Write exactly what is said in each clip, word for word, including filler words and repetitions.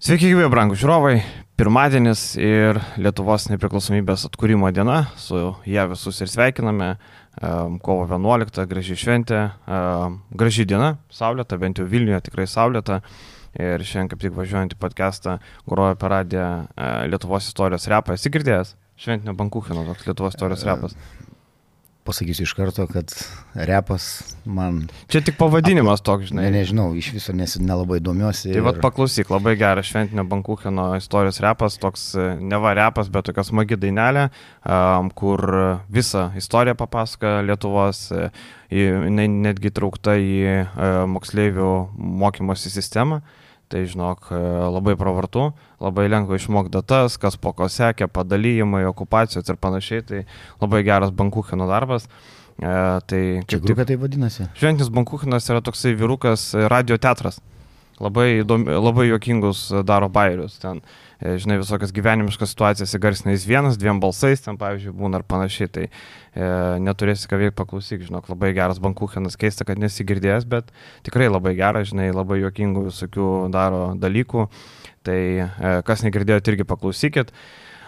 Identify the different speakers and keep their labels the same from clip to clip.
Speaker 1: Sveiki, gyvi, brangūs žiūrovai. Pirmadienis ir Lietuvos nepriklausomybės atkūrimo diena. Su ją visus ir sveikiname. Kovo vienuoliktą, graži šventė, graži diena, saulėta, bent jau Vilniuje tikrai saulėta. Ir šiandien kaip tik važiuojant į podcastą grojo per radiją Lietuvos istorijos repą. Esi girdėjęs? Šventinio Bankucheno toks Lietuvos istorijos repas.
Speaker 2: Pasakysiu iš karto, kad repas man...
Speaker 1: Čia tik pavadinimas toks, žinai.
Speaker 2: Ne, nežinau, iš viso nes, nelabai domiuosi.
Speaker 1: Tai
Speaker 2: ir...
Speaker 1: vat paklausyk, labai geras Šventinio Bankucheno istorijos repas, toks neva repas, bet tokia smagi dainelė, kur visą istoriją papasakoja Lietuvos, jinai netgi traukta į moksleivių mokymosi sistemą. Tai žinok, labai pravartu, labai lengva išmokti datas, kas po ko sekė, padalyjimai, okupacijos ir panašiai, tai labai geras Bankucheno darbas. E, tai,
Speaker 2: Čia grupė tai vadinasi?
Speaker 1: Šventinis Bankuchenas yra toksai vyrukas radio teatras, labai, įdomi, labai juokingus daro bairius, ten, e, žinai, visokias gyvenimiškas situacijas įgarsina jis vienas, dviem balsais, ten pavyzdžiui būna ir panašiai, tai e, neturėsi ką veikti, paklausyk, žinok, labai geras Bankuchenas, keista, kad nesigirdėjęs, bet tikrai labai geras, žinai, labai juokingų visokių daro dalykų, tai e, kas negirdėjot, irgi paklausykit.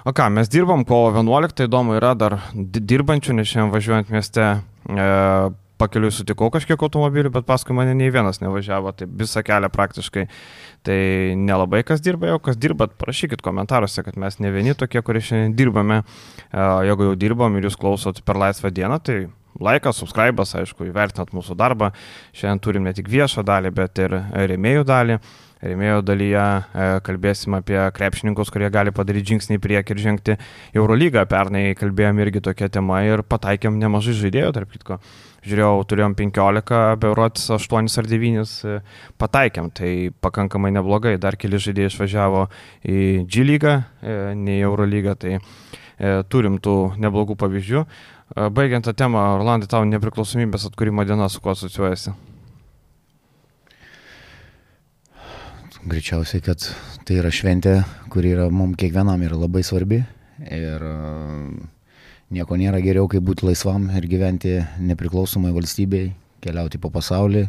Speaker 1: O ką, mes dirbam kovo vienuoliktą, įdomu yra dar dirbančių, nes šiandien važiuojant mieste e, pakeliui sutikau kažkiek automobilių, bet paskui mane nei vienas nevažiavo, tai visą kelią praktiškai. Tai nelabai kas dirba, jau kas dirbat, parašykit komentaruose, kad mes ne vieni tokie, kurie šiandien dirbame. Jeigu jau dirbam ir jūs klausot per laisvą dieną, tai laikas, subscribas, aišku, įvertinat mūsų darbą. Šiandien turim ne tik viešą dalį, bet ir rėmėjų dalį. Rėmėjų dalyje kalbėsim apie krepšininkus, kurie gali padaryti žingsnį į priekį ir žengti į Eurolygą. Pernai kalbėjom irgi tokia tema ir pataikėm nemažai žaidėjų, tarp kitko. Žiūrėjau, turėjom penkiolika, berods aštuonis ar devynis pataikėm, tai pakankamai neblogai. Dar keli žaidėjai išvažiavo į G lygą, ne į Eurolygą, tai turim tų neblogų pavyzdžių. Baigiant tą temą, Rolandai, tau nepriklausomybės atkūrimo diena su kuo asociuojasi?
Speaker 2: Greičiausiai, kad tai yra šventė, kuri yra mums kiekvienam yra labai svarbi ir nieko nėra geriau, kaip būti laisvam ir gyventi nepriklausomai valstybei, keliauti po pasaulį,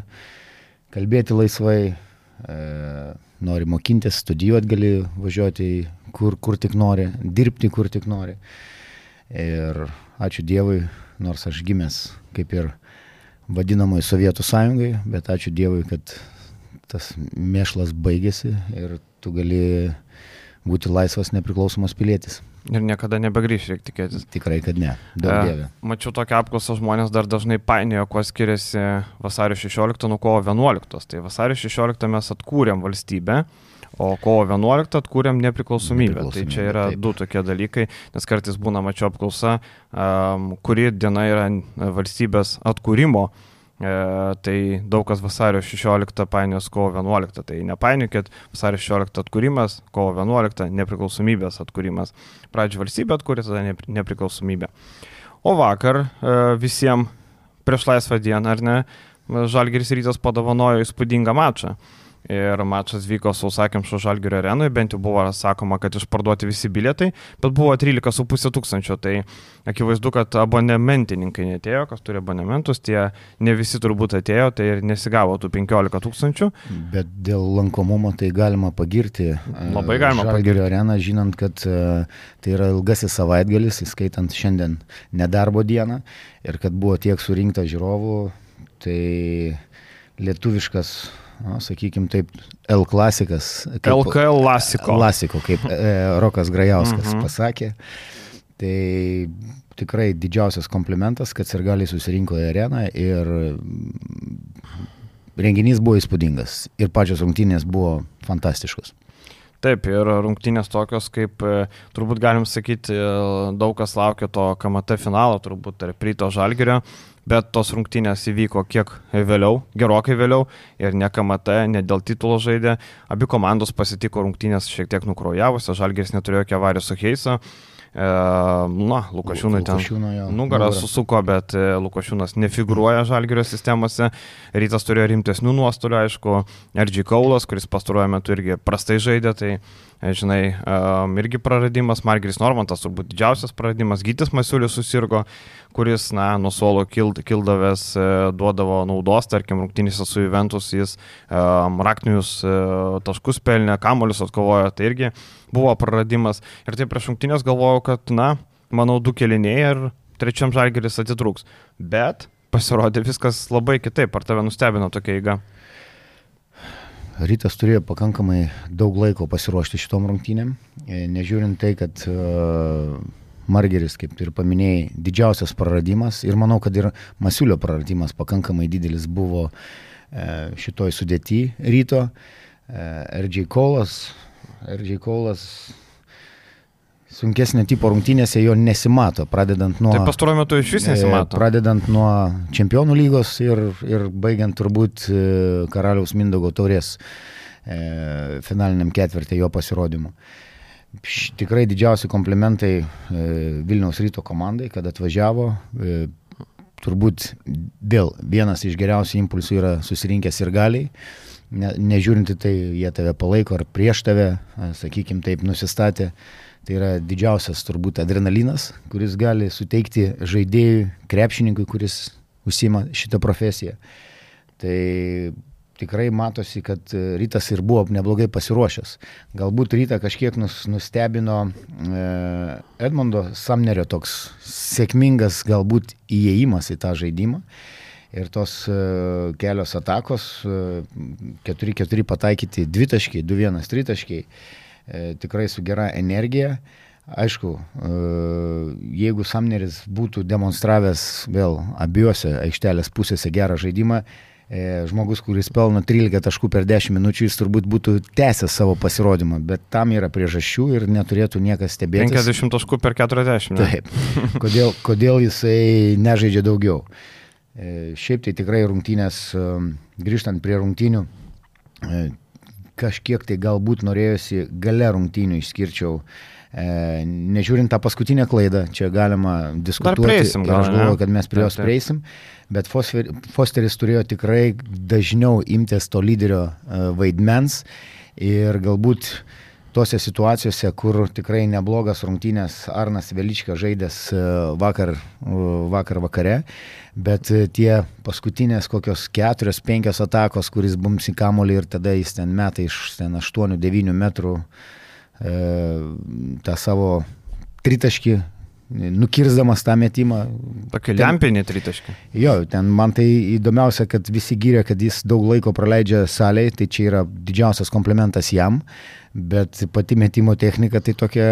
Speaker 2: kalbėti laisvai, e, nori mokintis, studijuoti gali važiuoti kur, kur tik nori, dirbti kur tik nori. Ir ačiū Dievui, nors aš gimęs kaip ir vadinamoji Sovietų sąjungai, bet ačiū Dievui, kad tas mėšlas baigėsi ir tu gali būti laisvas nepriklausomas pilietis.
Speaker 1: Ir niekada nebegrįš, reikia tikėtis.
Speaker 2: Tikrai, kad ne. Daug dievė.
Speaker 1: E, mačiau tokią apklausą, žmonės dar dažnai painiojo, kuo skiriasi vasario šešioliktą nuo kovo vienuoliktos. Tai vasario šešioliktą mes atkūrėm valstybę, o kovo vienuoliktą atkūrėm nepriklausomybę. Tai čia yra taip. Du tokie dalykai, nes kartais būna, mačiau apklausa, um, kuri diena yra valstybės atkūrimo. E, tai daug kas vasario šešioliktą painios kovo vienuoliktą, tai nepainiokit, vasario šešioliktą atkūrimas, kovo vienuoliktą nepriklausomybės atkūrimas. Pradžio valstybė atkūrė, tada nepriklausomybė. O vakar e, visiems prieš laisvą dieną, ar ne, Žalgiris Rytas padovanojo įspūdingą mačą. Ir mačas vyko Sausakimšo Žalgirio arenoje, bent jau buvo sakoma, kad išparduoti visi bilietai, bet buvo trylika su pusė tūkstančio, tai akivaizdu, kad abonementininkai netėjo, kas turi abonementus, tie ne visi turbūt atėjo, tai ir nesigavo tų penkiolika tūkstančių.
Speaker 2: Bet dėl lankomumo tai galima pagirti
Speaker 1: Labai galima
Speaker 2: Žalgirio areną, žinant, kad tai yra ilgasis savaitgalis, įskaitant šiandien nedarbo dieną, ir kad buvo tiek surinkta žiūrovų, tai lietuviškas, na, sakykim taip, L klasikas.
Speaker 1: L K L Lasiko.
Speaker 2: Lasiko, kaip e, Rokas Grajauskas
Speaker 1: Mhm.
Speaker 2: pasakė. Tai tikrai didžiausias komplimentas, kad sirgaliai susirinko į areną ir renginys buvo įspūdingas. Ir pačios rungtynės buvo fantastiškos.
Speaker 1: Taip, ir rungtynės tokios, kaip turbūt galim sakyti, daug kas laukia to K M T finalo, turbūt tarp Ryto Žalgirio. Bet tos rungtynės įvyko kiek vėliau, gerokai vėliau, ir ne K M T, ne dėl titulo žaidė. Abi komandos pasitiko rungtynės šiek tiek nukraujavusios, Žalgiris neturėjo jokio avarijos su Heiso. na, Lukošiūnai ten nugarą susuko, bet Lukošiūnas nefigūruoja Žalgirio sistemose. Rytas turėjo rimtesnių nuostolių, aišku, R G Kaulas, kuris pastaruoju metu irgi prastai žaidė, tai, žinai, irgi praradimas. Margiris Normantas turbūt didžiausias praradimas. Gytis Masiulis susirgo, kuris, na, nuo suolo kild, kildavęs duodavo naudos, tarkim, rungtynėse su Juventus jis um, raktinius uh, taškus pelnė, kamuolius atkovojo, tai irgi buvo praradimas. Ir tai prieš rungtynės galvojau, kad, na, manau, du kėliniai ir trečiam Žalgiris atitrūks. Bet pasirodė viskas labai kitaip. Ar tave nustebino tokia eiga?
Speaker 2: Rytas turėjo pakankamai daug laiko pasiruošti šitom rungtynėm. Nežiūrint tai, kad uh, Margeris, kaip ir paminėjai, didžiausias praradimas ir manau, kad ir Masiulio praradimas pakankamai didelis buvo uh, šitoj sudėty Ryto. Uh, R G Kaulas, R G Kaulas sunkesnio tipo rungtynėse jo nesimato, pradedant nuo...
Speaker 1: Tai pastaruoju metu iš vis nesimato.
Speaker 2: Pradedant nuo Čempionų lygos ir, ir baigiant turbūt Karaliaus Mindaugo taurės e, finaliniam ketvirtį jo pasirodymu. Tikrai didžiausi komplimentai e, Vilniaus Ryto komandai, kad atvažiavo. E, turbūt vėl vienas iš geriausių impulsų yra susirinkęs ir galiai. Ne, nežiūrinti tai, jie tave palaiko ar prieš tave, sakykim taip, nusistatė. Tai yra didžiausias turbūt adrenalinas, kuris gali suteikti žaidėjui, krepšininkui, kuris užsiima šitą profesiją. Tai tikrai matosi, kad Rytas ir buvo neblogai pasiruošęs. Galbūt Rytą kažkiek nustebino Edmundo Samnerio toks sėkmingas galbūt įėjimas į tą žaidimą. Ir tos kelios atakos, keturi keturi pataikyti dvitaškiai, du vienas tritaškiai, tikrai su gera energija. Aišku, jeigu Samneris būtų demonstravęs vėl abiejose aikštelės pusėse gerą žaidimą, žmogus, kuris pelno trylika taškų per dešimt minučių, jis turbūt būtų tęsęs savo pasirodymą, bet tam yra priežasčių ir neturėtų niekas stebėtis.
Speaker 1: penkiasdešimt taškų per keturiasdešimt.
Speaker 2: Taip. Kodėl, kodėl jisai nežaidžia daugiau? Šiaip tai tikrai rungtynės, grįžtant prie rungtynių, kažkiek tai galbūt norėjosi gale rungtynių išskirčiau, e, nežiūrint tą paskutinę klaidą, čia galima diskutuoti.
Speaker 1: Dar prieisim, gal,
Speaker 2: aš galvoju, kad mes prie jos prieisim, bet Fosteris turėjo tikrai dažniau imtis to lyderio e, vaidmens ir galbūt tose situacijose, kur tikrai neblogas rungtynės Arnas Velička žaidęs vakar, vakar vakare, bet tie paskutinės kokios keturios, penkios atakos, kuris bums į kamuolį ir tada jis ten meta iš aštuonių devynių metrų e, tą savo tritaškį, nukirsdamas tą metimą.
Speaker 1: Tokį lempinį tritaškį.
Speaker 2: Jo, ten man tai įdomiausia, kad visi gyrė, kad jis daug laiko praleidžia salėje, tai čia yra didžiausias komplimentas jam, bet pati metimo technika tai tokia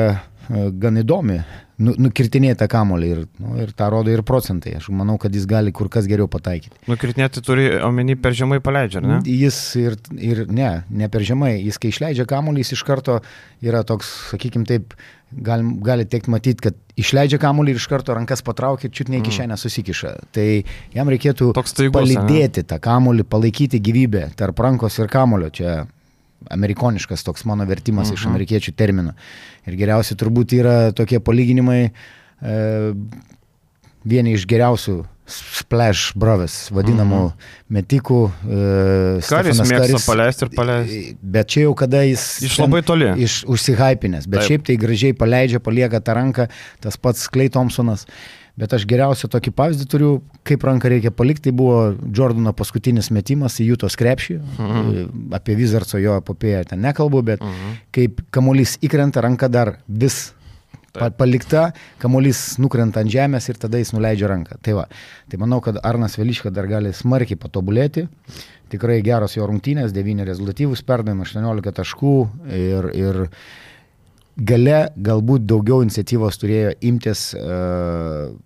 Speaker 2: gan įdomi. Nu, nukirtinėti tą kamuolį ir, nu, ir tą rodo ir procentai. Aš manau, kad jis gali kur kas geriau pataikyti.
Speaker 1: Nukirtinėti turi omeny per žemai paleidžia, ne?
Speaker 2: Jis ir, ir ne, ne per žemai. Jis kai išleidžia kamuolį, jis iš karto yra toks, sakykim taip, gali, gali tekti matyti, kad išleidžia kamuolį ir iš karto rankas patraukia ir čiut ne į kišenę susikiša. Tai jam reikėtų
Speaker 1: staigus,
Speaker 2: palydėti tą kamuolį, palaikyti gyvybę tarp rankos ir kamuolio. Čia amerikoniškas toks mano vertimas uh-huh. iš amerikiečių terminų. Ir geriausiai turbūt yra tokie palyginimai, e, vieni iš geriausių splash brothers, vadinamų uh-huh. metikų. E,
Speaker 1: Karis mėgsta paleisti ir paleisti.
Speaker 2: Bet čia jau kada jis
Speaker 1: iš labai toli.
Speaker 2: Iš, užsihypinęs, bet Taip. Šiaip tai gražiai paleidžia, palieka tą ranką, tas pats Klay Thompsonas. Bet aš geriausią tokį pavyzdį turiu, kaip ranką reikia palikti, tai buvo Jordano paskutinis metimas į Jutos krepšį, uh-huh. apie Wizardso jo epopėją ten nekalbu, bet uh-huh. kaip kamuolys įkrenta, ranka dar vis pa- palikta, kamuolys nukrenta ant žemės ir tada jis nuleidžia ranką. Tai va, tai manau, kad Arnas Velička dar gali smarkiai patobulėti, tikrai geros jo rungtynės, devyni rezultatyvūs perdavimai, aštuoniolika taškų ir, ir gale galbūt daugiau iniciatyvos turėjo imtis uh,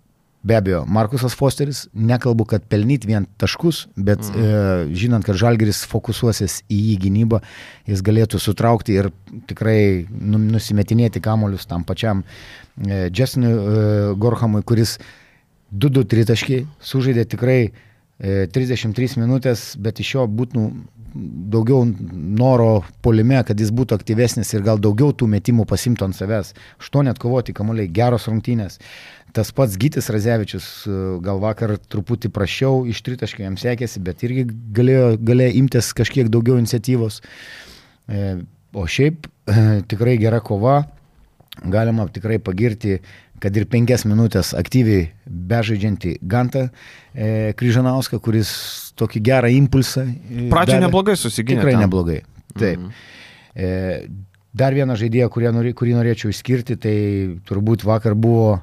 Speaker 2: be abejo, Markusas Fosteris, nekalbu, kad pelnyt vien taškus, bet mm. e, žinant, kad Žalgiris fokusuosis į jį gynybą, jis galėtų sutraukti ir tikrai nu, nusimetinėti kamuolius tam pačiam e, Justinui e, Gorhamui, kuris du du tritaškiai sužaidė tikrai e, trisdešimt trys minutės, bet iš jo būtų daugiau noro puolime, kad jis būtų aktyvesnis ir gal daugiau tų metimų pasimtų ant savęs. Aštuoni atkovoti kamuoliai, geros rungtynės. Tas pats Gytis Radzevičius gal vakar truputį prašiau, iš tritaškio jam sekėsi, bet irgi galėjo, galėjo imtis kažkiek daugiau iniciatyvos. O šiaip tikrai gera kova, galima tikrai pagirti, kad ir penkias minutės aktyviai bežaidžiantį Gantą e, Kryžanauską, kuris tokį gerą impulsą.
Speaker 1: Pradžioje neblogai susiginė.
Speaker 2: Tikrai
Speaker 1: ten.
Speaker 2: neblogai. Taip. Mm-hmm. E, dar vieną žaidėją, kurį, norė, kurį norėčiau išskirti, tai turbūt vakar buvo,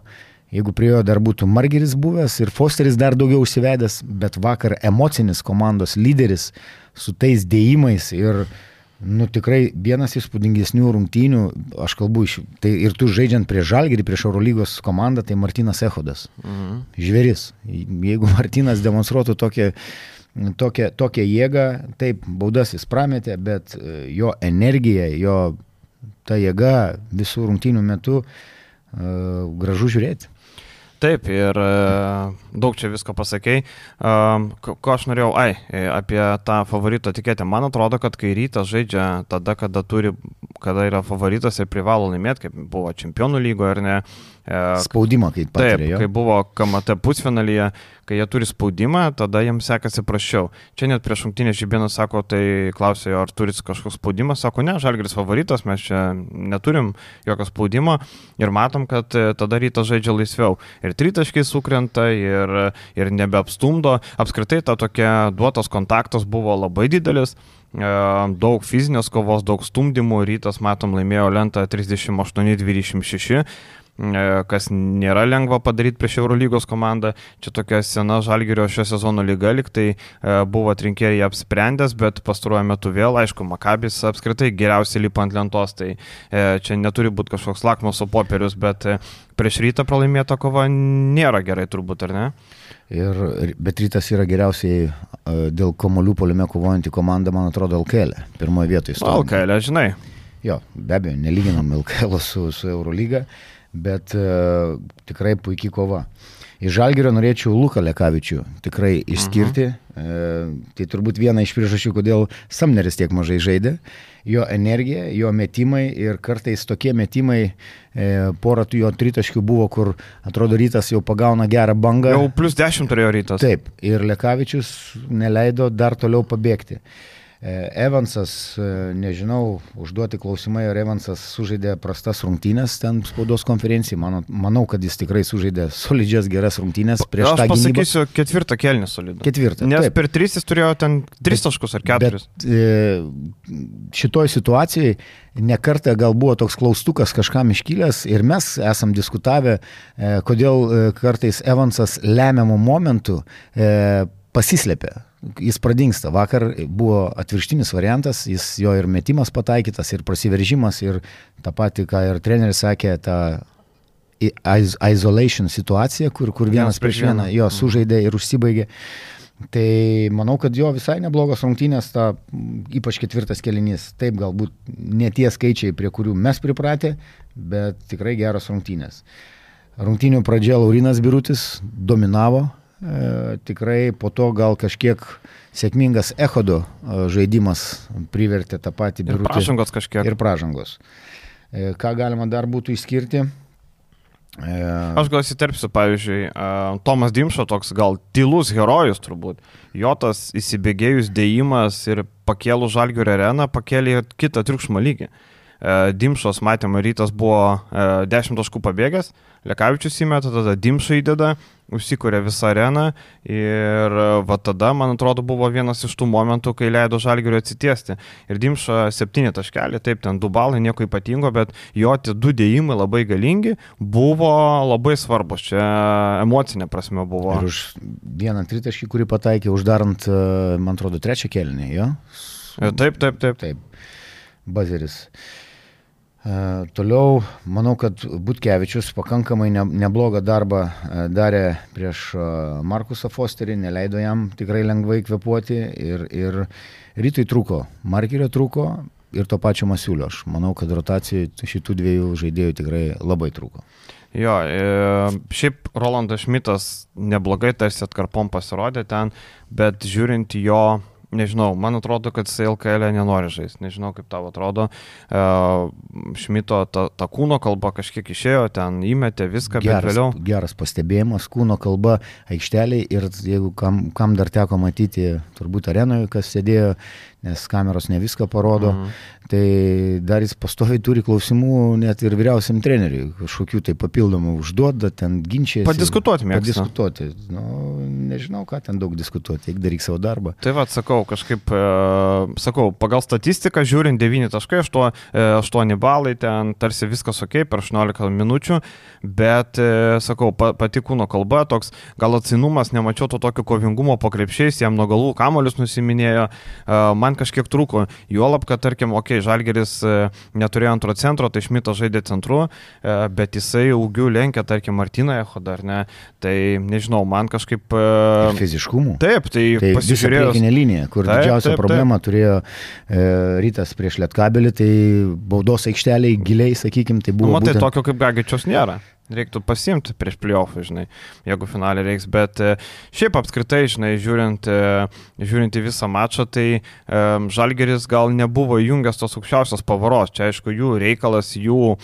Speaker 2: jeigu prie jo dar būtų Margeris buvęs ir Fosteris dar daugiau užsivedęs, bet vakar emocinis komandos lyderis su tais dėjimais ir nu, tikrai vienas įspūdingesnių rungtynių, aš kalbu, iš, tai ir tu žaidžiant prie Žalgirį, prieš Eurolygos komandą, tai Martynas Echodas. Mhm. Žvėris. Jeigu Martynas demonstruotų tokią, tokią, tokią jėgą, taip, baudas jis prametė, bet jo energija, jo ta jėga visų rungtynių metu uh, gražu žiūrėti.
Speaker 1: Taip, ir daug čia visko pasakei. Ko, ko aš norėjau, ai, apie tą favorito etiketę. Man atrodo, kad kai Rytas žaidžia tada, kada, turi, kada yra favoritas ir privalo laimėti, kaip buvo Čempionų lygoje ar ne.
Speaker 2: Spaudimą, kaip patiria.
Speaker 1: Taip, kai buvo K M T pusfinalyje, kai jie turi spaudimą, tada jiems sekasi prašiau. Čia net prieš rungtynę Žibėnas sako, tai klausė, ar turit kažkoks spaudimas, sako, ne, Žalgiris favoritas, mes čia neturim jokio spaudimo ir matom, kad tada Rytas žaidžia laisviau. Ir tritaškiai sukrenta ir, ir nebeapstumdo. Apskritai ta tokia duotas kontaktas buvo labai didelis. Daug fizinės kovos, daug stumdymų. Rytas, matom, laimėjo lentą trisdešimt aštuoni dvidešimt šeši. Kas nėra lengva padaryti prieš Eurolygos komandą. Čia tokia sena Žalgirio šio sezono lyga, lyg tai buvo atrinkėjai apsprendęs, bet pastaruoju metu vėl, aišku, Makabis apskritai geriausiai lipa ant lentos, tai čia neturi būti kažkoks lakmuso popierius, bet prieš Rytą pralaimėta kova nėra gerai turbūt, ar ne?
Speaker 2: Ir, bet Rytas yra geriausiai dėl kamuolių puolime kovojanti komanda, man atrodo, L K L, pirmoje vietoje.
Speaker 1: L K L, žinai.
Speaker 2: Jo, be abejo, nelyginam L K L su, su Eurolyga, bet uh, tikrai puikiai kova. Iš Žalgirio norėčiau Luką Lekavičių tikrai išskirti. Uh-huh. E, tai turbūt viena iš priežasčių, kodėl Samneris tiek mažai žaidė. Jo energija, jo metimai ir kartais tokie metimai, e, porą jo tritaškių buvo, kur atrodo Rytas jau pagauna gerą bangą.
Speaker 1: Jau plus dešimt turėjo Rytas.
Speaker 2: Taip, ir Lekavičius neleido dar toliau pabėgti. Evansas, nežinau, užduoti klausimai, ar Evansas sužaidė prastas rungtynės ten spaudos konferencijai. Manau, manau, kad jis tikrai sužaidė solidžias geras rungtynės prieš tą gynybą. Aš pasakysiu,
Speaker 1: ketvirtą kėlinį solidų.
Speaker 2: Ketvirtą.
Speaker 1: Nes
Speaker 2: taip.
Speaker 1: Per tris jis turėjo ten tris taškus ar keturis.
Speaker 2: Bet e, šitoj situacijai nekartą gal buvo toks klaustukas kažkam iškilęs ir mes esam diskutavę, e, kodėl e, kartais Evansas lemiamų momentų e, pasislėpė. Jis pradingsta. Vakar buvo atvirkštinis variantas, jis jo ir metimas pataikytas, ir prasiveržimas, ir tą patį, ką ir treneris sakė, tą isolation situacija, kur, kur vienas prieš vieną jo sužaidė ir užsibaigė. Tai manau, kad jo visai neblogos rungtynės, ta, ypač ketvirtas kėlinys. Taip, galbūt ne tie skaičiai, prie kurių mes pripratę, bet tikrai geros rungtynės. Rungtynių pradžia Laurinas Birutis dominavo. E, tikrai po to gal kažkiek sėkmingas Echodo e, žaidimas privertė tą patį Birutį.
Speaker 1: Ir pražangos kažkiek.
Speaker 2: Ir pražangos. E, ką galima dar būtų išskirti? E...
Speaker 1: Aš gal įsiterpsiu, pavyzdžiui, e, Tomas Dimšo toks gal tylus herojus turbūt. Jo tas įsibėgėjus dėjimas ir pakėlų Žalgirio areną pakėlė kitą triukšmo lygį. E, Dimšos matėme, Rytas buvo e, dešimt taškų pabėgęs, Lekavičius įmeta, tada Dimšą įdeda, užsikūrė visą areną ir va tada, man atrodo, buvo vienas iš tų momentų, kai leido Žalgiriui atsitiesti. Ir Dimša septyni taškelį, taip, ten du balai, nieko ypatingo, bet jo tie du dėjimai labai galingi, buvo labai svarbus, čia emocinė prasme buvo.
Speaker 2: Ir už vieną tritaškį, kurį pataikė, uždarant, man atrodo, trečią kėlinį, jo?
Speaker 1: Taip, taip, taip.
Speaker 2: Taip, bazeris. Uh, toliau, manau, kad Butkevičius pakankamai ne, neblogą darbą uh, darė prieš uh, Markusą Fosterį, neleido jam tikrai lengvai kvepuoti ir, ir Rytui trūko, Markerio trūko ir to pačio Masiulio. Aš manau, kad rotacijai šitų dviejų žaidėjų tikrai labai trūko.
Speaker 1: Jo, e, šiaip Rolandas Šmitas neblogai tarsi atkarpom pasirodė ten, bet žiūrint jo nežinau, man atrodo, kad jis L K L nenori žaisti, nežinau kaip tau atrodo. Uh, Šmito ta, ta kūno kalba kažkiek išėjo, ten įmetė viską,
Speaker 2: geras,
Speaker 1: bet vėliau.
Speaker 2: Geras pastebėjimas, kūno kalba aikšteliai ir jeigu kam, kam dar teko matyti, turbūt arenoje, kas sėdėjo, nes kameros ne viską parodo, mhm. tai dar jis pastoviai turi klausimų net ir vyriausiam treneriui, kažkokių tai papildomų užduoda, ten ginčiasi.
Speaker 1: Padiskutuoti mėgsta.
Speaker 2: Padiskutuoti. Nu, nežinau, ką ten daug diskutuoti, eik daryk savo darbą.
Speaker 1: Tai va, sakau, kažkaip, e, sakau, pagal statistiką žiūrint devyni taškai, aštuoni balai, ten tarsi viskas ok, per aštuoniolika minučių, bet, e, sakau, pa, pati kūno kalba, toks gal atsinumas, nemačiau to tokio kovingumo po krepšiais, jam nuo galų kamolius nusiminėjo, e, man kažkiek trūko, juolab, kad, tarkim, okei, okay, Žalgiris neturėjo antro centro, tai Šmitas žaidė centru, bet jisai augių lenkia, tarkim, Martyną Echodą, ar ne, tai nežinau, man kažkaip...
Speaker 2: Ir fiziškumų.
Speaker 1: Taip, tai, tai pasižiūrėjau...
Speaker 2: Tai priekinė linija, kur taip, didžiausia taip, problema taip. turėjo e, Rytas prieš Lietkabelį, tai baudos aikšteliai giliai, sakykim, tai buvo...
Speaker 1: Nu, matai,
Speaker 2: būtent...
Speaker 1: tokio kaip Gagičiaus nėra. Reiktų pasimti prieš playoffą, žinai, jeigu finalį reiks, bet šiaip apskritai, žinai, žiūrint, žiūrint į visą mačą, tai um, Žalgiris gal nebuvo įjungęs tos aukščiausios pavaros, čia aišku jų reikalas, jų,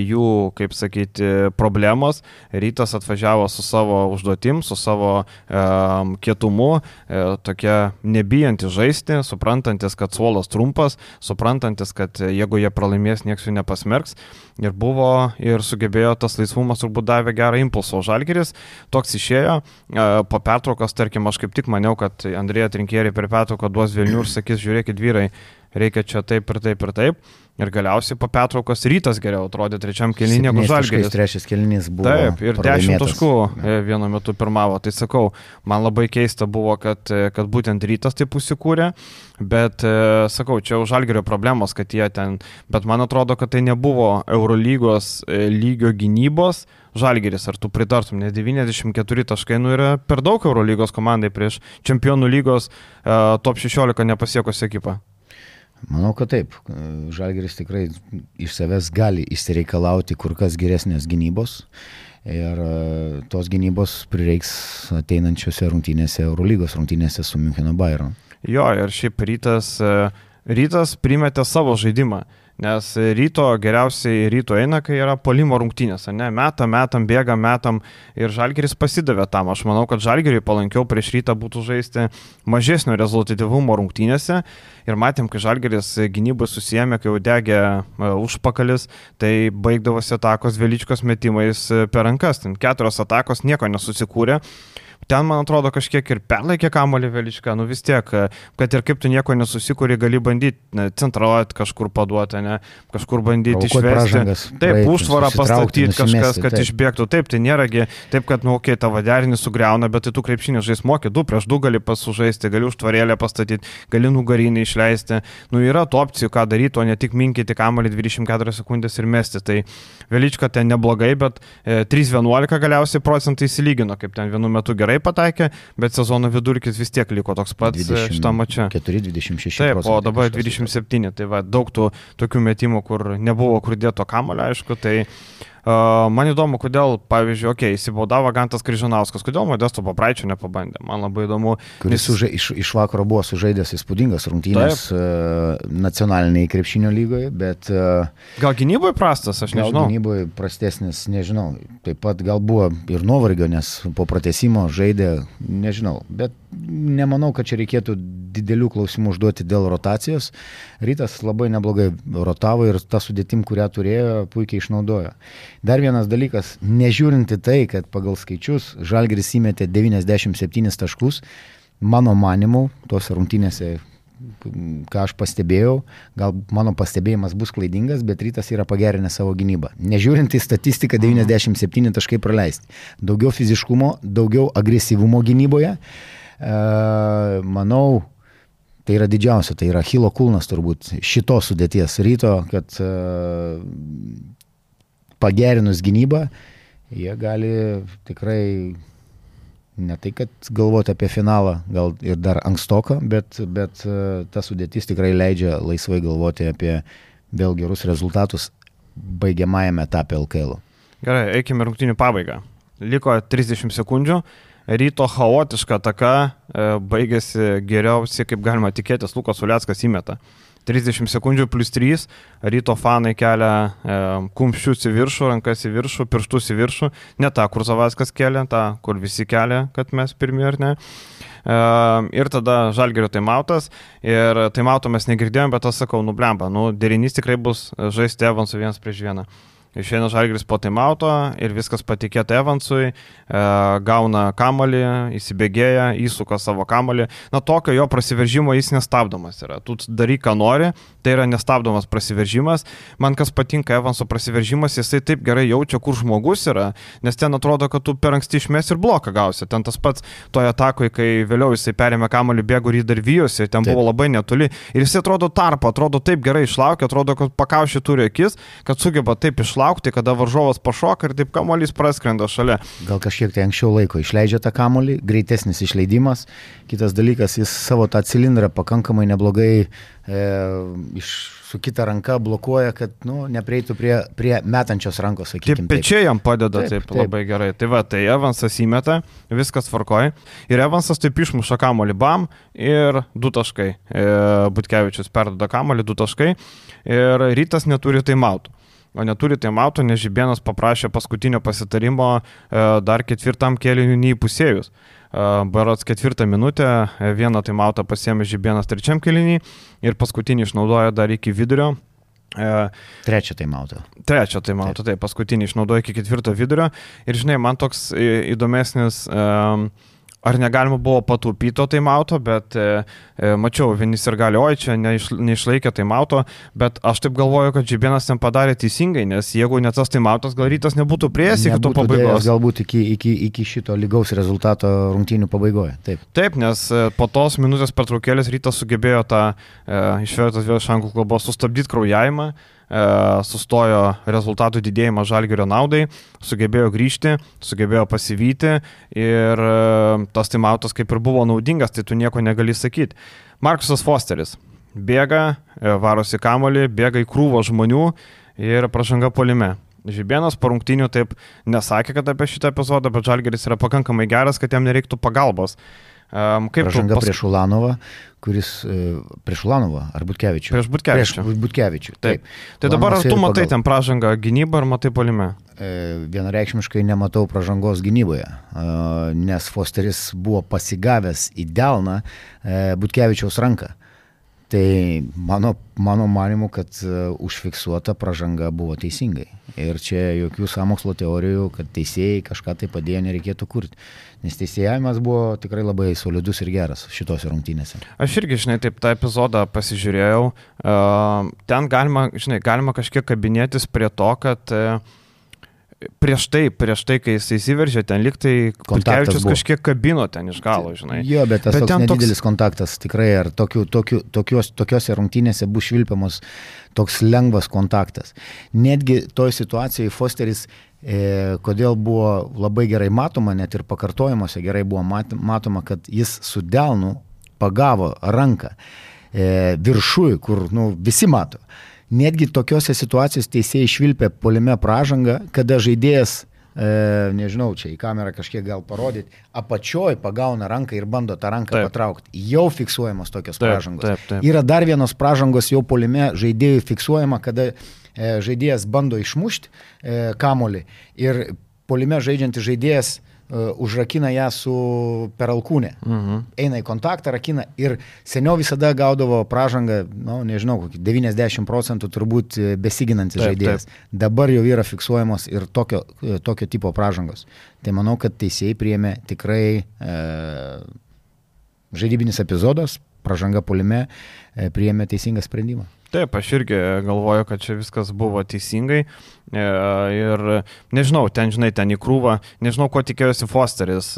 Speaker 1: jų, kaip sakyti, problemos, Rytas atvažiavo su savo užduotim, su savo um, kietumu, e, tokia nebijantis žaisti, suprantantis, kad suolas trumpas, suprantantis, kad jeigu jie pralaimės, nieks jų nepasmerks, ir buvo, ir sugebėjo tas laisvumas turbūt davė gerą impulsą, o Žalgiris toks išėjo, po pertraukos, tarkim, aš kaip tik maniau, kad Andrėja Trinkieri per pertrauką duos velnių ir sakys, žiūrėkit vyrai, reikia čia taip ir taip ir taip, ir galiausiai po pertraukos Rytas geriau atrodė trečiam kėlinį negu Žalgiris.
Speaker 2: Trečias kėlinys buvo
Speaker 1: taip, ir dešimt taškų vienu metu pirmavo, tai sakau, man labai keista buvo, kad, kad būtent Rytas taip užsikūrė, bet sakau, čia jau Žalgirio problemos, kad jie ten, bet man atrodo, kad tai nebuvo Eurolygos lygio gynybos Žalgiris, ar tu pritartum, nes devyniasdešimt keturi taškai nu yra per daug Eurolygos komandai prieš Čempionų lygos uh, top šešiolika nepasiekusią ekipą.
Speaker 2: Manau, kad taip. Žalgiris tikrai iš savęs gali išsireikalauti kur kas geresnės gynybos ir tos gynybos prireiks ateinančiose rungtynėse, Eurolygos rungtynėse su Miuncheno Bayern.
Speaker 1: Jo, ir šiaip Rytas, Rytas primetė savo žaidimą. Nes Ryto geriausiai Ryto eina, kai yra puolimo rungtynės, ne? Metam, metam, bėgam, metam ir Žalgiris pasidavė tam. Aš manau, kad Žalgiriui palankiau prieš Rytą būtų žaisti mažesnio rezultatyvumo rungtynėse ir matėm, kai Žalgiris gynybai susijėmė, kai jau degė užpakalis, tai baigdavosi atakos Veličkos metimais per rankas. Ten keturios atakos nieko nesusikūrė. Ten, man atrodo, kažkiek ir perlaikė kamuolį Veličką, nu vis tiek, kad ir kaip tu nieko nesusikūri, gali bandyti centraliuoti kažkur paduoti, ne, kažkur bandyti išvesti. Taip, užtvarą pastatyti kažkas, kad taip. Išbėgtų. Taip, tai nėragi, taip, kad, nu, okei, okay, tavo derinį sugriauna, bet tai tu krepšinį žais moki, du prieš du gali pasužaisti, gali užtvarėlę pastatyti, gali nugarinį išleisti. Nu, yra tų opcijų, ką daryti, o ne tik minkyti kamuolį dvidešimt keturias sekundės ir mesti. Tai Velička ten neblogai, bet e, trys vienuolika galiausiai procentai įsilygino, kaip ten vienu metu gerai pataikė, bet sezono vidurkis vis tiek liko toks pats šitam mače.
Speaker 2: keturi dvidešimt šeši
Speaker 1: Taip, o dabar dvidešimt septyni, tai va, daug tų tokių metimų, kur nebuvo kur dėto kamuolio, aišku, tai uh, man įdomu, kodėl, pavyzdžiui, okei, okay, įsibaudavo Gantas Kryžanauskas, kodėl Modesto Papraičio nepabandė, man labai įdomu.
Speaker 2: Kuris nes... suža, iš, iš vakaro buvo sužaidęs įspūdingas rungtynės uh, nacionaliniai krepšinio lygoje, bet... Uh,
Speaker 1: gal gynyboje prastas, aš nežinau.
Speaker 2: Gal gynyboje prastesnis, nežinau. Taip pat gal buvo ir nuovargio, nes po pratęsimo žaidė, nežinau, bet nemanau, kad čia reikėtų didelių klausimų užduoti dėl rotacijos. Rytas labai neblogai rotavo ir tą sudėtim, kurią turėjo, puikiai išnaudojo. Dar vienas dalykas, nežiūrinti tai, kad pagal skaičius Žalgiris įmetė devyniasdešimt septynis taškus, mano manimu, tose rungtynėse, ką aš pastebėjau, gal mano pastebėjimas bus klaidingas, bet Rytas yra pagerinęs savo gynybą. Nežiūrint į statistiką, devyniasdešimt septyni taškai praleisti. Daugiau fiziškumo, daugiau agresyvumo gynyboje. E, manau, tai yra didžiausia, tai yra Achilo kulnas turbūt šitos sudėties Ryto, kad e, pagerinus gynybą, jie gali tikrai ne tai, kad galvoti apie finalą, gal ir dar ankstoką, bet, bet ta sudėtis tikrai leidžia laisvai galvoti apie vėl gerus rezultatus baigiamajame etape L K L.
Speaker 1: Gerai, eikime rungtynių pabaigą. Liko trisdešimt sekundžių. Ryto chaotiška ataka baigėsi geriausiai, kaip galima tikėtis, Lukas Uleckas įmeta. trisdešimt sekundžių plus trys, Ryto fanai kelia e, kumščius į viršų, rankas į viršų, pirštus į viršų, ne tą, kur Zavackas kelia, tą, kur visi kelia, kad mes pirmi ar ne. E, ir tada Žalgirio taimautas, ir taimauto mes negirdėjom, bet aš sakau, nublemba, nu, derinys tikrai bus žaisti Evansų vienas prieš vieną. Išeina Žalgiris po taimauto ir viskas patikėta Evansui, e, gauna kamuolį, įsibėgėja, įsuka savo kamuolį. Na, tokio jo prasiveržimo jis nestabdomas yra. Tu daryk, ką nori, tai yra nestabdomas prasiveržimas. Man kas patinka Evanso prasiveržimas, jisai taip gerai jaučia, kur žmogus yra, nes ten atrodo, kad tu per anksti išmes ir bloką gausi. Ten tas pats toje atakoje, kai vėliau jisai perėmė kamuolį, bėgo ir jį dar vijosi, ten taip. Buvo labai netoli. Ir jisai atrodo tarpo, atrodo taip gerai išlaukia, atrodo, kad pakaušį turi akis, kad sugeba taip išlaukti. Laukti, kada varžovas pašoka ir taip kamuolys praskrenda šalia.
Speaker 2: Gal kažkiek tai anksčiau laiko išleidžia tą kamuolį, greitesnis išleidimas. Kitas dalykas, jis savo tą cilindrą pakankamai neblogai e, iš, su kita ranka blokuoja, kad nu, neprieitų prie, prie metančios rankos, sakykime.
Speaker 1: Taip, pečiai jam padeda taip, taip, taip labai gerai. Tai va, tai Evansas įmeta, viskas tvarkoja. Ir Evansas taip išmuša kamuolį bam ir du taškai. E, Butkevičius perduoda kamuolį, du taškai. Ir Rytas neturi taimautų. O neturi taimauto, nes Žibėnas paprašė paskutinio pasitarimo e, dar ketvirtam kėliniui neįpusėjus. E, Berods ketvirtą minutę e, vieną taimautą pasiėmė Žibėnas trečiam kėlinį ir paskutinį išnaudojo dar iki vidurio. E,
Speaker 2: Trečią taimautą.
Speaker 1: Trečią taimautą, taip, paskutinį išnaudojo iki ketvirto vidurio. Ir žinai, man toks įdomesnis... E, Ar negalima buvo pataupyti to taimauto, bet e, e, mačiau, vienis ir gali, oi, čia neiš, neišlaikė taimauto, bet aš taip galvoju, kad Žibėnas ten padarė teisingai, nes jeigu ne tas taimautas, gal Rytas nebūtų prieėjęs iki to pabaigos.
Speaker 2: Galbūt iki, iki, iki šito lygaus rezultato rungtynių pabaigoje. Taip,
Speaker 1: Taip nes e, po tos minutės pertraukėlės Rytas sugebėjo tą, e, išvertas vėl iš anglų kalbos, sustabdyti kraujavimą, sustojo rezultatų didėjimą Žalgirio naudai, sugebėjo grįžti, sugebėjo pasivyti ir tas taimautas kaip ir buvo naudingas, tai tu nieko negali sakyti. Markusas Fosteris bėga, varosi kamuolį, bėga į krūvą žmonių ir pražanga puolime. Žibėnas po rungtynių taip nesakė, kad apie šitą epizodą, bet Žalgiris yra pakankamai geras, kad jam nereiktų pagalbos. Um,
Speaker 2: Pražanga pas... prieš Ulanovą, kuris e, prieš Ulanovą ar Butkevičių?
Speaker 1: Prieš Butkevičių.
Speaker 2: Prieš Butkevičių, taip.
Speaker 1: taip. Tai dabar ar tu matai ten pražangą gynybą ar matai puolime?
Speaker 2: E, vienareikšmiškai nematau pražangos gynyboje, e, nes Fosteris buvo pasigavęs į delną e, Butkevičiaus ranką. Tai mano, mano manimu, kad uh, užfiksuota pražanga buvo teisingai. Ir čia jokių sąmokslo teorijų, kad teisėjai kažką tai padėjo, nereikėtų kurti. Nes teisėjavimas buvo tikrai labai solidus ir geras šitose rungtynėse.
Speaker 1: Aš irgi, žinai, taip tą epizodą pasižiūrėjau. Uh, ten galima, žinai, galima kažkiek kabinėtis prie to, kad uh, prieš tai, prieš tai, kai jis įsiveržė, ten liktai Butkevičius kažkiek kabino ten iš galo, žinai.
Speaker 2: Jo, bet tas bet toks nedidelis toks... kontaktas tikrai, ar tokiu, tokiu, tokios, tokiose rungtynėse bus švilpiamos toks lengvas kontaktas. Netgi toj situacijoje Fosteris, e, kodėl buvo labai gerai matoma, net ir pakartojimuose gerai buvo mat, matoma, kad jis su delnu pagavo ranką e, viršui, kur nu, visi mato. Netgi tokiose situacijose teisėjai išvilpė puolime pražangą, kada žaidėjas, e, nežinau, čia į kamerą kažkiek gal parodyti, apačioj pagauna ranką ir bando tą ranką taip. Patraukti. Jau fiksuojamos tokios taip, pražangos. Taip, taip. Yra dar vienos pražangos jau puolime žaidėjų fiksuojama, kada e, žaidėjas bando išmušti e, kamuolį ir puolime žaidžiantis žaidėjas Uh, užrakina ją su per alkūnę. Mhm. Eina į kontaktą, rakina ir seniau visada gaudavo pražangą, nu, nežinau, kokį devyniasdešimt procentų turbūt besiginantis taip, žaidėjas. Taip. Dabar jau yra fiksuojamos ir tokio, tokio tipo pražangos. Tai manau, kad teisėjai priėmė tikrai e, žaidybinis epizodas, pražanga puolime, e, priėmė teisingą sprendimą.
Speaker 1: Taip, aš irgi galvoju, kad čia viskas buvo teisingai ir nežinau, ten, žinai, ten į krūvą, nežinau, ko tikėjosi Fosteris,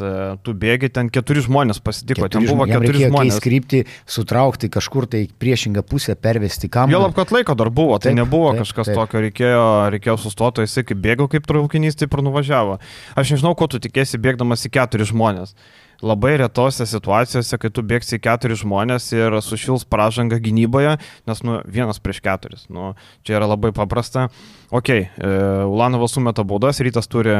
Speaker 1: tu bėgi, ten keturi žmonės pasitiko, keturi ten buvo keturi žmonės. Jam reikėjo
Speaker 2: krypti, sutraukti kažkur tai priešingą pusę, pervesti kamuolį.
Speaker 1: Jo lab, kad laiko dar buvo, tai taip, nebuvo taip, kažkas taip. Tokio, reikėjo, reikėjo sustoti, jisai kaip bėgo, kaip traukinys, taip ir nuvažiavo. Aš nežinau, ko tu tikėsi bėgdamas į keturi žmonės. Labai retose situacijose, kai tu bėgsi į keturis žmonės ir sušils pražangą gynyboje, nes nu, vienas prieš keturis. Nu, čia yra labai paprasta. Ok, e, Ulanovas sumeta baudas, Rytas turi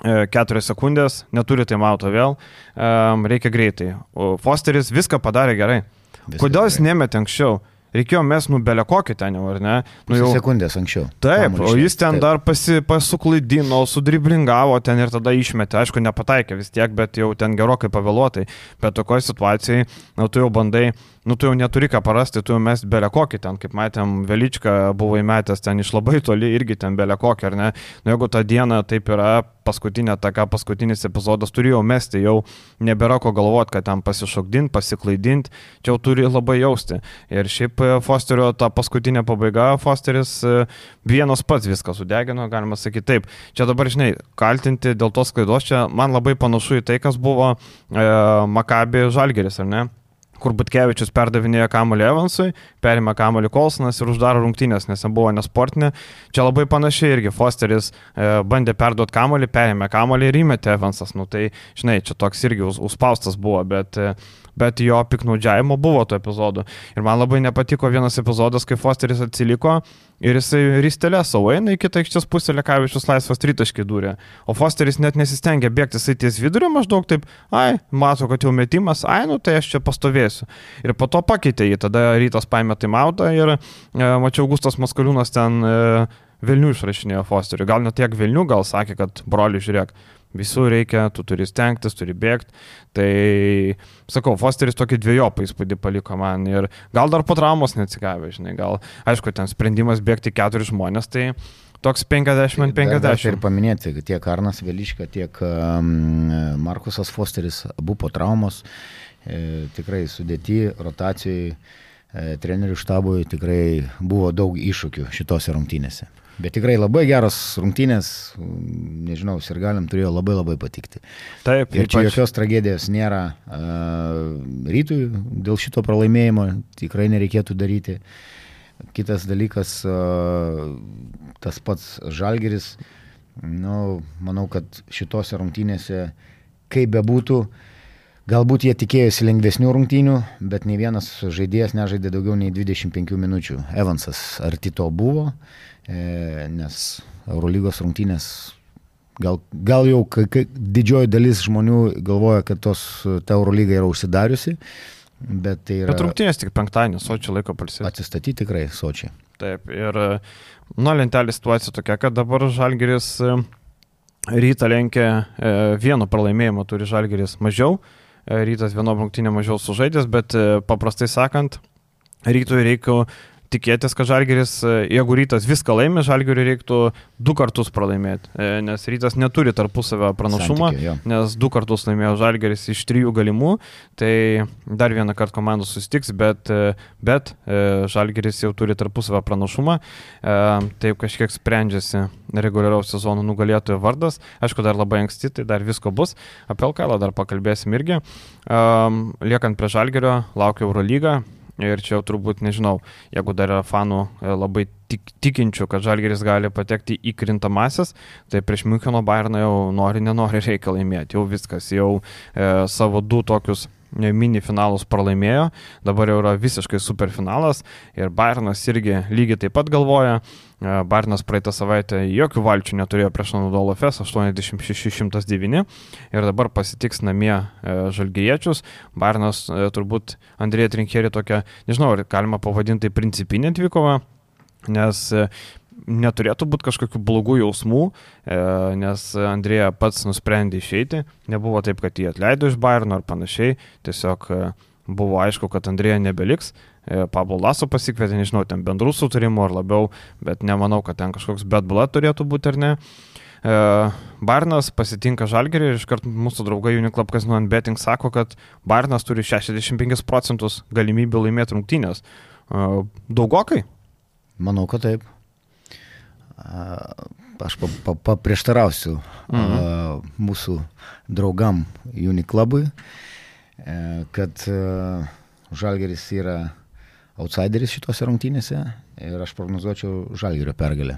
Speaker 1: keturias sekundės, neturi taimauto vėl, reikia greitai. O Fosteris viską padarė gerai. Viskas Kodėl jis gerai. Nemetė anksčiau? Reikėjo mes nubelę kokį ten jau, ar ne?
Speaker 2: Nu, jau sekundės anksčiau.
Speaker 1: Taip, o jis ten taip. dar pasi, pasuklaidino, sudriblingavo ten ir tada išmetė. Aišku, nepataikė vis tiek, bet jau ten gerokai pavėluotai. Bet tokioje situacijoje, nu, tu jau bandai, nu, tu jau neturi ką parasti, tu jau mes belę kokį ten, kaip matėm, Veličką buvo įmetęs ten iš labai toli, irgi ten belę kokį, ar ne? Nu, jeigu tą dieną taip yra, paskutinė taka, paskutinis epizodas turėjo mesti, jau nebėra ko galvoti, kad ten pasišokdinti, pasiklaidinti, čia jau turi labai jausti. Ir šiaip Fosterio ta paskutinė pabaiga, Fosteris vienas pats viską sudegino, galima sakyti taip. Čia dabar, žinai, kaltinti dėl tos klaidos, čia man labai panašu į tai, kas buvo e, Maccabi Žalgiris, ar ne? Kur Butkevičius perdavinėjo kamuolį Evansui, perima kamuolį Kolsonas ir uždaro rungtynės, nes jam buvo nesportinė. Čia labai panašiai irgi Fosteris e, bandė perduoti kamuolį, perėmė kamuolį ir įmetė Evansas. Nu, tai, žinai, čia toks irgi us, užspaustas buvo, bet, e, bet jo piknaudžiavimo buvo to epizodu. Ir man labai nepatiko vienas epizodas, kai Fosteris atsiliko ir jisai ristelė savo eina į kitą aikštės pusę, Lekavičius laisvas tritaškį dūrė. O Fosteris net nesistengė bėgti, jisai ties vidurio maždaug taip, ai, mato, kad jau metimas, ai, nu tai aš čia pastovėsiu. Ir po to pakeitė jį, tada Rytas paėmė taimautą ir e, mačiau Augustas Maskaliūnas ten e, Vilnių išrašinėjo Fosteriui. Gal net tiek Vilnių, gal sakė, kad broli, žiūrėk, visų reikia, tu turi stengtis, turi bėgti. Tai, sakau, Fosteris tokį dviejopą įspūdį paliko man ir gal dar po traumos neatsigavė, žinai, gal, aišku, ten sprendimas bėgti keturi žmonės, tai toks penkiasdešimt penkiasdešimt.
Speaker 2: Ir paminėti, kad tiek Arnas Velička, tiek um, Markusas Fosteris, abu po traumos, e, tikrai sudėti rotacijai, e, trenerių štabui tikrai buvo daug iššūkių šitose rungtynėse. Bet tikrai labai geros rungtynės, nežinau, sirgaliam turėjo labai labai patikti.
Speaker 1: Taip,
Speaker 2: ir čia pač... jokios tragedijos nėra uh, Rytui dėl šito pralaimėjimo, tikrai nereikėtų daryti. Kitas dalykas, uh, tas pats Žalgiris, nu, manau, kad šitose rungtynėse, kaip bebūtų, galbūt jie tikėjosi lengvesnių rungtynių, bet nei vienas žaidėjas nežaidė daugiau nei dvidešimt penkių minučių. Evansas arti to buvo, nes Eurolygos rungtynės gal, gal jau kai, kai, didžioji dalis žmonių galvoja, kad tos, ta Eurolyga yra užsidariusi, bet tai yra...
Speaker 1: Bet rungtynės tik penktadienį, Sočio laiko palsėti.
Speaker 2: Atsistatyti tikrai Sočiai.
Speaker 1: Taip, ir nuo lentelė situacija tokia, kad dabar Žalgiris Rytą lenkia, vieno pralaimėjimo turi Žalgiris mažiau, Rytas vieno rungtynė mažiau sužaidęs, bet paprastai sakant, Rytui reikia tikėtis, kad Žalgiris, jeigu Rytas viską laimė, Žalgiriui reiktų du kartus pralaimėti, nes Rytas neturi tarpusavio pranašumą, Santykė, nes du kartus laimėjo Žalgiris iš trijų galimų, tai dar vieną kartą komandos susitiks, bet, bet Žalgiris jau turi tarpusavio pranašumą, taip kažkiek sprendžiasi reguliaraus sezono nugalėtojo vardas, aišku, dar labai anksti, tai dar visko bus, apie L K L dar pakalbėsim irgi, liekant prie Žalgirio, laukia Eurolyga. Ir čia jau turbūt, nežinau, jeigu dar yra fanų labai tik, tikinčių, kad Žalgiris gali patekti į krintamasis, tai prieš Miuncheno Bayerną jau nori, nenori reikia laimėti. Jau viskas, jau e, savo du tokius mini finalus pralaimėjo, dabar jau yra visiškai superfinalas ir Bayernas irgi lygiai taip pat galvoja. Bayernas praeitą savaitę jokių valčių neturėjo prieš Anadolu Efes, aštuoniasdešimt šeši šimtas devyni ir dabar pasitiks namie žalgiriečius. Bayernas turbūt Andrėja Trinkieri tokia, nežinau, ar galima pavadinti principinė dvikova, nes neturėtų būti kažkokių blogų jausmų, nes Andrėja pats nusprendė išeiti, nebuvo taip, kad jį atleido iš Bayerno ar panašiai, tiesiog buvo aišku, kad Andrėja nebeliks. Pablo Laso pasikvietė, nežinau, ten bendrų sutarimų ar labiau, bet nemanau, kad ten kažkoks bad blood turėtų būti ar ne. Bayernas pasitinka Žalgirį ir iškart mūsų draugai Uniclub Casino and Betting sako, kad Bayernas turi šešiasdešimt penkis procentus galimybių laimėti rungtynės. Daugokai?
Speaker 2: Manau, kad taip. Aš paprieštarausiu mhm. mūsų draugam Uniclubui, kad Žalgiris yra outsideris šitose rungtynėse ir aš prognozuočiau Žalgirio pergalę.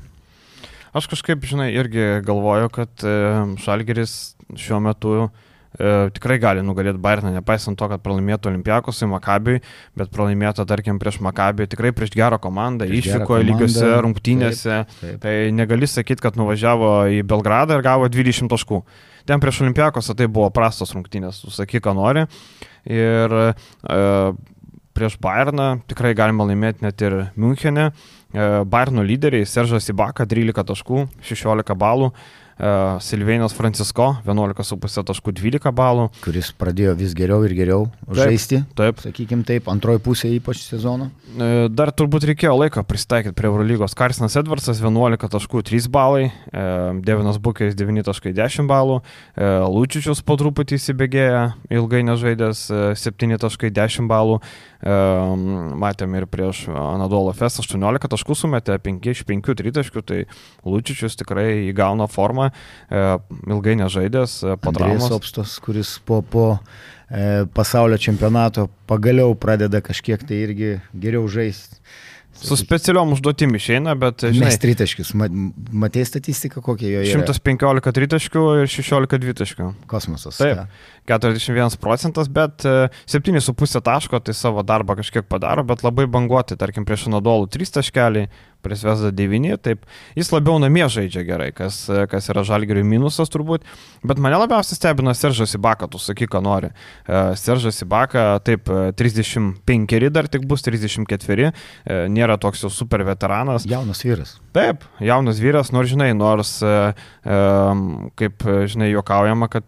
Speaker 1: Aš kažkaip, žinai, irgi galvoju, kad Žalgiris šiuo metu e, tikrai gali nugalėti Bayerną, nepaisant to, kad pralaimėtų Olympiakosui, Makabiui, bet pralaimėtų, tarkim, prieš Makabiui, tikrai prieš gerą komandą, išvykoje lygiose rungtynėse. Taip, taip. Tai negali sakyti, kad nuvažiavo į Belgradą ir gavo dvidešimt taškų. Ten prieš Olympiakosą tai buvo prastos rungtynės, sakyk, ką nori. Ir e, prieš Bayerną tikrai galima laimėti net ir Münchene. E, Bayerno lyderiai Seržas Ibaka trylika taškų, šešiolika balų. Uh, Silvėnas Francisko, vienuolika su pusė taškų, dvylika balų.
Speaker 2: Kuris pradėjo vis geriau ir geriau taip, žaisti, taip. Sakykime taip, antroji pusė ypač sezono.
Speaker 1: Uh, dar turbūt reikėjo laiko pristaikyti prie Eurolygos. Karsinas Edvardsas, vienuolika taškų, trys balai, uh, Devinas Bukeris, devyni taškai, dešimt balų, uh, Lučičius po truputį įsibėgėja, ilgai nežaidęs, uh, septyni taškai, dešimt balų. Uh, matėm ir prieš Anadolo Fest aštuoniolika taškų sumetė, penki iš penkių tritaškių, tai Lučičius tikrai įgauna formą, uh, ilgai nežaidęs, uh, po traumos.
Speaker 2: Andrėjus Opstas, kuris po, po e, pasaulio čempionato pagaliau pradeda kažkiek tai irgi geriau žaisti.
Speaker 1: Su specialiom užduotim išeina, bet žinai...
Speaker 2: Mes tritaškius, matėjai statistiką kokie jo yra?
Speaker 1: šimtas penkiolika tritaškių ir šešiolika dvitaškių.
Speaker 2: Kosmosas.
Speaker 1: Taip, keturiasdešimt vienas procentas, bet septyni su pusė taško, tai savo darbą kažkiek padaro, bet labai banguoti, tarkim, prieš Anadolų trys taškeliai, prieš Zvezdą devyni, taip, jis labiau namie žaidžia gerai, kas, kas yra Žalgiriui minusas turbūt, bet mane labiausiai stebina Seržas Ibaka, tu sakyk, ką nori. Seržas Ibaka, taip, trisdešimt penkeri dar tik bus, trisdešimt ketveri, nėra toks jau super veteranas.
Speaker 2: Jaunas vyras.
Speaker 1: Taip, jaunas vyras, nors žinai, nors, kaip žinai, juokaujama, kad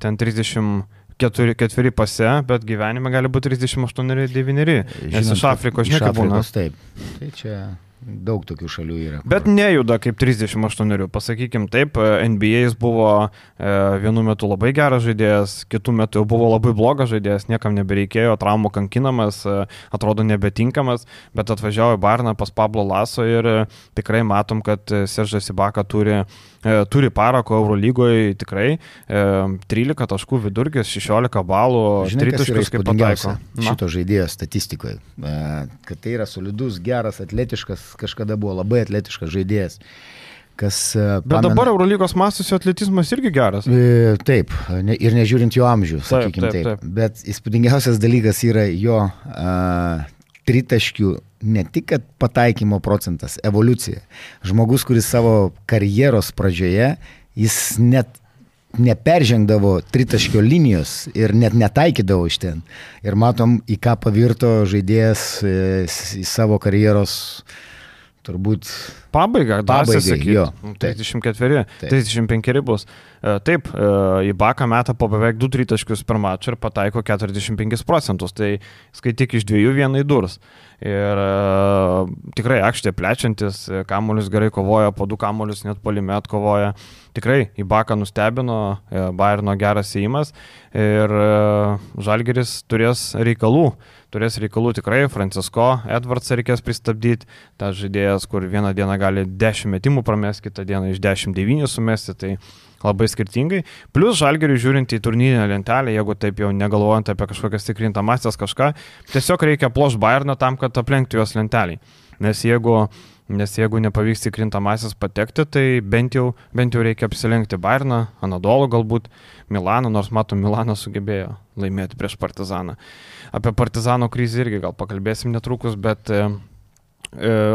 Speaker 1: ten trisdešimt Keturi, ketveri pase, bet gyvenime gali būti trisdešimt aštuoni devyni, nes iš Afrikos, žinai, kaip būna.
Speaker 2: Taip, tai čia daug tokių šalių yra. Kur...
Speaker 1: Bet nejuda kaip trisdešimt aštuoni, pasakykim taip, N B A jis buvo e, vienu metu labai geras žaidėjas, kitų metų jau buvo labai blogas žaidėjas, niekam nebereikėjo, traumų kankinamas, e, atrodo nebetinkamas, bet atvažiavo į Bayerną pas Pablo Laso ir e, tikrai matom, kad Seržas Ibaka turi E, turi parako Eurolygoje tikrai, e, trylika taškų vidurkis, šešiolika balų, tritaškius kaip pataiko.
Speaker 2: Šito žaidėjo statistikoje, e, kad tai yra solidus, geras, atletiškas, kažkada buvo labai atletiškas žaidėjas. Kas,
Speaker 1: Bet pamena, dabar Eurolygos mastos atletizmas irgi geras.
Speaker 2: E, taip, ne, ir nežiūrint jo amžių, sakykime taip, taip. taip. Bet įspūdingiausias dalykas yra jo a, tritaškių, ne tik kad pataikymo procentas, evoliucija. Žmogus, kuris savo karjeros pradžioje, jis net neperžengdavo tritaškio linijos ir net netaikydavo iš ten. Ir matom, į ką pavirto žaidėjas į savo karjeros turbūt
Speaker 1: pabaiga,
Speaker 2: pabaigai,
Speaker 1: sakyti,
Speaker 2: jo.
Speaker 1: trisdešimt ketveri, trisdešimt penkeri bus. Taip, Ibaka meta po beveik du tritaškius per mačą ir pataiko keturiasdešimt penkis procentus, tai skaityk iš dviejų vienai durs. Ir uh, tikrai aikštė plečiantis, kamuolius gerai kovoja, po du kamuolius net puolime atkovoja. Tikrai Ibaka nustebino, Bayerno geras įimas ir uh, Žalgiris turės reikalų. Turės reikalų tikrai, Francisko Edvardsą reikės pristabdyti, tas žaidėjas, kur vieną dieną gali dešimt metimų pramesti, kitą dieną iš dešimt devyni sumesti, tai labai skirtingai. Plus Žalgiriui žiūrint į turnyrinę lentelę, jeigu taip jau negalvojant apie kažkokias tikrintamasias kažką, tiesiog reikia ploš Bayerną tam, kad aplenktų jos lentelį. Nes jeigu, nes jeigu nepavyks tikrintamasias patekti, tai bent jau, bent jau reikia apsilenkti Bayerną, Anadolų galbūt, Milaną, nors matom, Milanas sugebėjo laimėti prieš Partizaną. Apie Partizano krizę irgi gal pakalbėsim netrukus, bet e,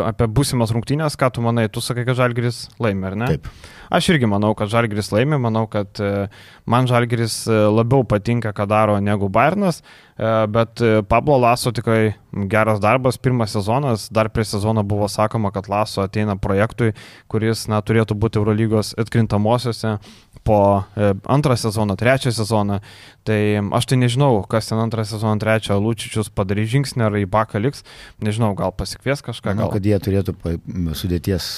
Speaker 1: apie būsimas rungtynės, ką tu manai, tu sakai, kad Žalgiris laimė, ar ne?
Speaker 2: Taip.
Speaker 1: Aš irgi manau, kad Žalgiris laimė, manau, kad man Žalgiris labiau patinka, ką daro negu Bayernas, bet Pablo Laso tikrai geras darbas, pirmas sezonas, dar prieš sezoną buvo sakoma, kad Laso ateina projektui, kuris na, turėtų būti Eurolygos atkrintamosiose po antrą sezoną, trečią sezoną, tai aš tai nežinau, kas ten antrą sezoną, trečią Lučičius padarys žingsnį, ar Ibaka liks, nežinau, gal pasikvies kažką.
Speaker 2: Manau,
Speaker 1: gal...
Speaker 2: kad jie turėtų sudėties,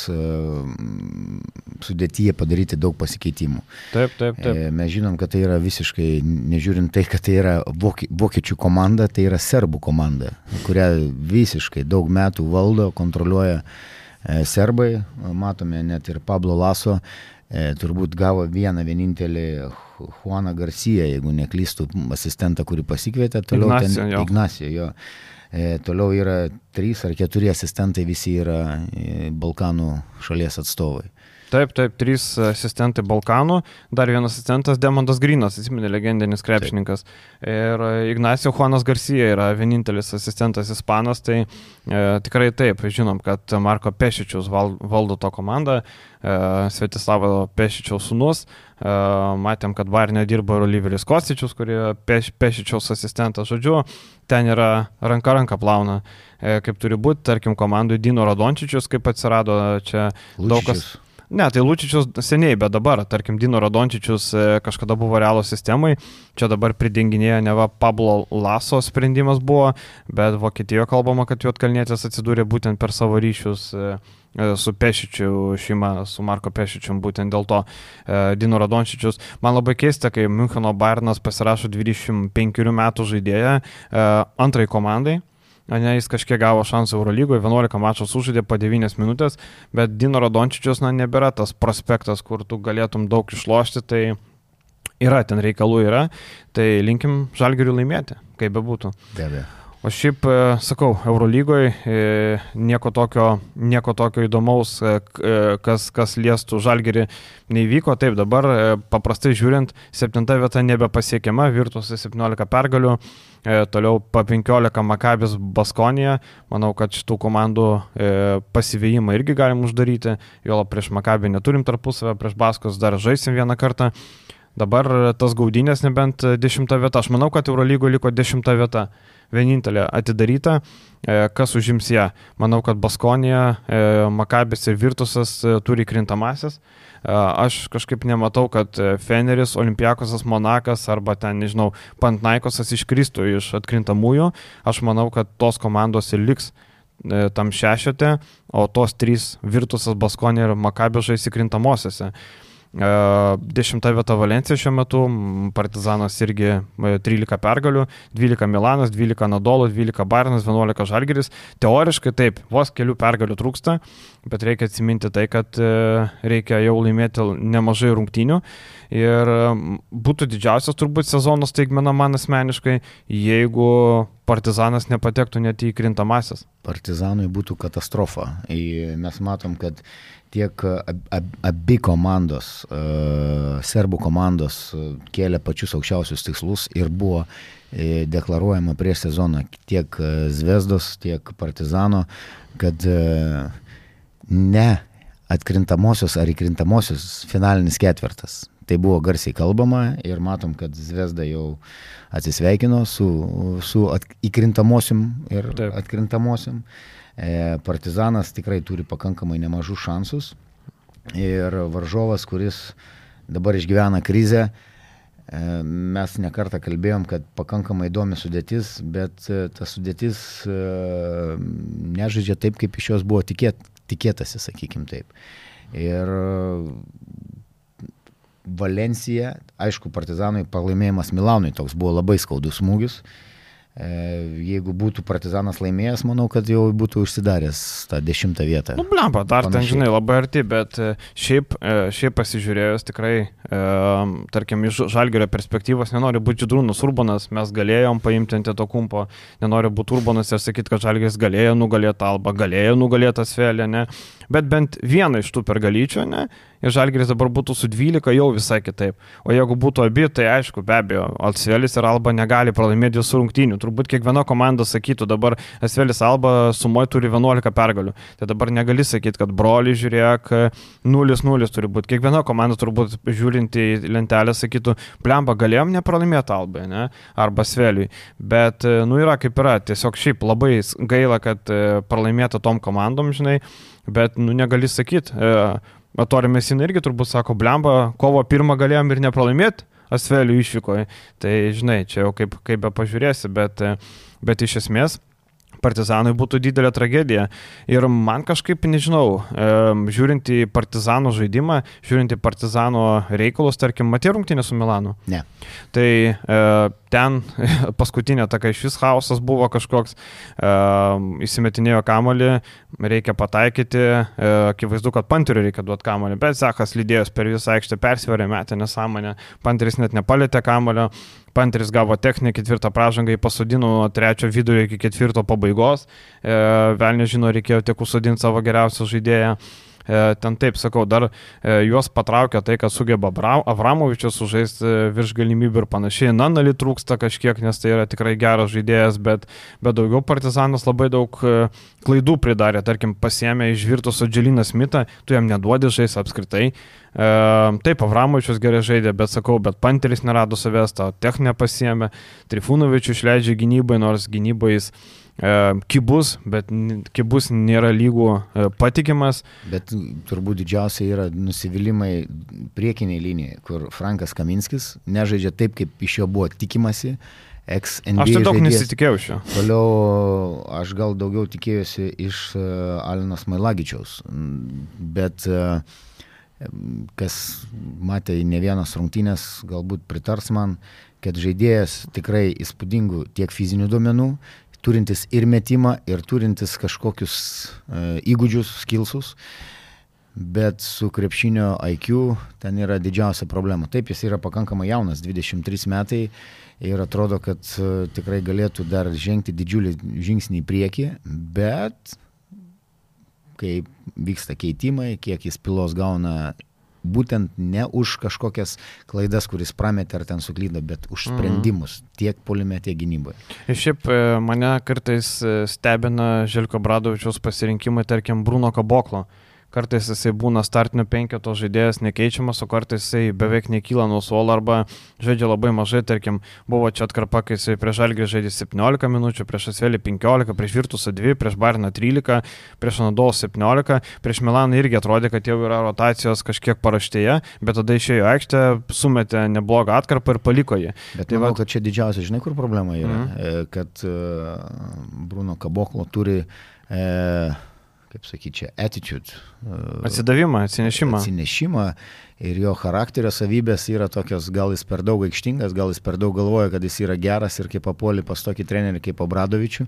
Speaker 2: sudėtyje padaryti daug pasikeitimų.
Speaker 1: Taip, taip, taip.
Speaker 2: Mes žinom, kad tai yra visiškai, nežiūrint tai, kad tai yra vokiečių komanda, tai yra serbų komanda, kurią visiškai daug metų valdo, kontroliuoja serbai, matome net ir Pablo Laso, turbūt gavo vieną vienintelį Juaną Garciją, jeigu neklystų, asistentą, kurį pasikvietė, toliau
Speaker 1: Ignacio,
Speaker 2: ten
Speaker 1: jo.
Speaker 2: Ignacio, jo. E, toliau yra trys ar keturi asistentai visi yra Balkanų šalies atstovai.
Speaker 1: Taip, taip, trys asistentai Balkanų, dar vienas asistentas Demondas Grinas, atsiminė, legendinis krepšininkas. Taip. Ir Ignacio Juanas Garcia yra vienintelis asistentas ispanas, tai e, tikrai taip, žinom, kad Marko Pešičiaus val, valdo to komandą, e, Svetislavo Pešičiaus sūnus, e, matėm, kad Bayerne dirbo ir Oliveris Kostičius, kurie Peš, Pešičiaus asistentas, žodžiu, ten yra ranka ranka plauna, e, kaip turi būti, tarkim, komandui Dino Radončičius, kaip atsirado čia
Speaker 2: Lučičius.
Speaker 1: Daug kas. Ne, tai Lučičius seniai, bet dabar, tarkim, Dino Radončičius kažkada buvo Realo sistemai, čia dabar pridenginėja neva Pablo Laso sprendimas buvo, bet Vokietijoje kalbama, kad Juodkalnietis atsidūrė būtent per savo ryšius su Pešičiu šeima, su Marko Pešičium, būtent dėl to Dino Radončičius. Man labai keista, kai Müncheno Bayernas pasirašo dvidešimt penkerių metų žaidėją antrai komandai. Ne, jis kažkiek gavo šansą Eurolygoje, vienuolika mačų sužaidė po devynias minutės, bet Dino Radončičius, na, nebėra tas prospektas, kur tu galėtum daug išlošti, tai yra, ten reikalų yra, tai linkim Žalgiriui laimėti, kaip bebūtų.
Speaker 2: Be abejo.
Speaker 1: O šiaip, sakau, Eurolygoje nieko tokio, nieko tokio įdomaus, kas, kas liestų Žalgirį, neįvyko. Taip, dabar paprastai žiūrint, septinta vieta nebepasiekiama, Virtuose septyniolika pergalių, toliau po penkiolika Makabis Baskonija. Manau, kad šitų komandų pasivėjimą irgi galim uždaryti, jo prieš Makabį neturim tarpusavę, prieš Baskos dar žaisim vieną kartą. Dabar tas gaudynės nebent dešimta vieta. Aš manau, kad Eurolygoje liko dešimta vieta. Vienintelė atidaryta, kas užims ją. Manau, kad Baskonija, Makabis ir Virtusas turi krintamasis. Aš kažkaip nematau, kad Feneris, Olympiakosas, Monakas arba ten, nežinau, Panathinaikosas iškristų iš atkrintamųjų. Aš manau, kad tos komandos ir liks tam šešete, o tos trys Virtusas, Baskonija ir Makabis žais įkrintamosiose. Dešimta vieta Valencija šiuo metu, Partizanas irgi trylika pergalių, dvylika Milanas, dvylika Anadolu, dvylika Bayernas, vienuolika Žalgiris. Teoriškai taip, vos kelių pergalių trūksta, bet reikia atsiminti tai, kad reikia jau laimėti nemažai rungtynių ir būtų didžiausias turbūt sezono staigmena man asmeniškai, jeigu Partizanas nepatektų net į krintamasis.
Speaker 2: Partizanui būtų katastrofa. Mes matom, kad tiek ab, ab, abi komandos, uh, serbų komandos kėlė pačius aukščiausius tikslus ir buvo e, deklaruojama prieš sezoną tiek Zvezdos, tiek Partizano, kad e, ne atkrintamosios ar įkrintamosios finalinis ketvirtas. Tai buvo garsiai kalbama ir matom, kad Zvezda jau atsisveikino su, su at, įkrintamosiom ir Taip. atkrintamosiom. Partizanas tikrai turi pakankamai nemažų šansus ir varžovas, kuris dabar išgyvena krizę, mes nekartą kalbėjom, kad pakankamai įdomi sudėtis, bet ta sudėtis nežaidžia taip, kaip iš jos buvo tikėt, tikėtasi, sakykim taip. Ir Valencija, aišku, Partizanui pralaimėjimas Milanui toks buvo labai skaudus smūgis. Jeigu būtų Partizanas laimėjęs, manau, kad jau būtų užsidaręs tą dešimtą vietą.
Speaker 1: Nu, blemba, dar Panašiai. Ten, žinai, labai arti, bet šiaip, šiaip pasižiūrėjus tikrai, e, tarkim, iš Žalgirio perspektyvos nenori būti Žydrūnas Urbanas, mes galėjom paimti Antetokumpo, nenori būti Urbanas ir sakyti, kad Žalgiris galėjo nugalėti Albą, galėjo nugalėti Asvelį, ne, bet bent vieną iš tų pergalyčių, ne, ir Žalgiris dabar būtų su dvylika jau visai kitaip. O jeigu būtų abi, tai aišku, be abejo, Asvelis ir Alba negali pralaimėti visų rungtynių. Turbūt kiekviena komanda sakytų, dabar Asvelis Alba sumoje turi vienuolika pergalių. Tai dabar negali sakyti, kad broli, žiūrėk, nulis nulis turi būti. Kiekviena komanda turbūt žiūrint į lentelę sakytų, blemba, galėjom nepralaimėti Albai, ne? Arba Asveliui. Bet, nu, yra kaip yra. Tiesiog šiaip labai gaila, kad pralaimėta tom komandom, žinai, bet, nu, negali sakyti. Atori Mesina irgi turbūt sako, blemba, kovo pirmą galėjom ir nepralaimėti Asvelių išvykoje. Tai, žinai, čia jau kaip, kaip be pažiūrėsi, bet, bet iš esmės Partizanui būtų didelė tragedija. Ir man kažkaip, nežinau, žiūrint į Partizano žaidimą, žiūrint į Partizano reikalus, tarkim, matė rungtynę su Milanu?
Speaker 2: Ne.
Speaker 1: Tai ten paskutinė taka iš vis chaosas buvo kažkoks, įsimetinėjo kamuolį, reikia pataikyti, akivaizdu, kad Panteriui reikia duoti kamuolį, bet Zachas lydėjos per visą aikštę persverė, metė nesąmonę, Panteris net nepalėtė kamuolio, Panteris gavo techninę ketvirtą pražangą, jį pasodino nuo trečio vidurio iki ketvirto pabaigos. E, Velnė žino, reikėjo tiek užsodinti savo geriausią žaidėją. Ten taip, sakau, dar juos patraukia tai, kad sugeba Avramovičius sužaisti virš galimybių ir panašiai. Nanali trūksta kažkiek, nes tai yra tikrai geras žaidėjas, bet, bet daugiau Partizanas labai daug klaidų pridarė. Tarkim, pasiėmė iš Virtuso Dželiną Smitą, tu jam neduodi žais apskritai. Taip, Avramovičius gerai žaidė, bet sakau, bet Panteris nerado savęs, tą techninę pasiėmė. Trifunovičių išleidžia gynybai, nors gynybai jis kibus, bet kibus nėra lygų patikimas.
Speaker 2: Bet turbūt didžiausia yra nusivylimai priekiniai linijai, kur Frankas Kaminskis nežaidžia taip, kaip iš jo buvo tikimasi. Ex-N B A
Speaker 1: aš tai daug
Speaker 2: žaidėjas.
Speaker 1: nesitikėjau šio.
Speaker 2: Toliau aš gal daugiau tikėjusi iš Alinos Mailagičiaus, bet kas matė ne vienas rungtynės, galbūt pritars man, kad žaidėjas tikrai įspūdingų tiek fizinių duomenų, turintis ir metimą, ir turintis kažkokius uh, įgūdžius, skillsus, bet su krepšinio I Q ten yra didžiausia problema. Taip, jis yra pakankamai jaunas, dvidešimt trys metai, ir atrodo, kad uh, tikrai galėtų dar žengti didžiulį žingsnį į priekį, bet kai vyksta keitimai, kiek jis pilos gauna, būtent ne už kažkokias klaidas, kuris prametė ar ten suklydo, bet už sprendimus mm. tiek puolime, tiek gynyboje.
Speaker 1: Ir šiaip mane kartais stebina Željko Obradovičiaus pasirinkimai, tarkim, Bruno Kaboklo. Kartais jisai būna startinio penketo žaidėjas nekeičiamas, o kartais jisai beveik nekyla nuo suolo arba žaidžia labai mažai. Tarkim, buvo čia atkarpa, kai jisai prieš Žalgirį žaidė septyniolika minučių, prieš Asvelį penkiolika, prieš Virtusą dvi, prieš Bariną trylika, prieš Anadolą septyniolika, prieš Milaną irgi atrodė, kad jau yra rotacijos kažkiek paraštėje, bet tada išėjo aikštę, sumetė neblogą atkarpą ir paliko jį.
Speaker 2: Bet tai manau, va... kad čia didžiausia, žinai, kur problema yra, mm-hmm. kad uh, Bruno Kaboklo turi... Uh, kaip sakyti, čia attitude.
Speaker 1: Atsidavimą, atsinešimą.
Speaker 2: Atsinešimą ir jo charakterio savybės yra tokios, gal jis per daug aikštingas, gal jis per daug galvoja, kad jis yra geras ir kaip papuoli pas tokį trenerį kaip Obradovičių.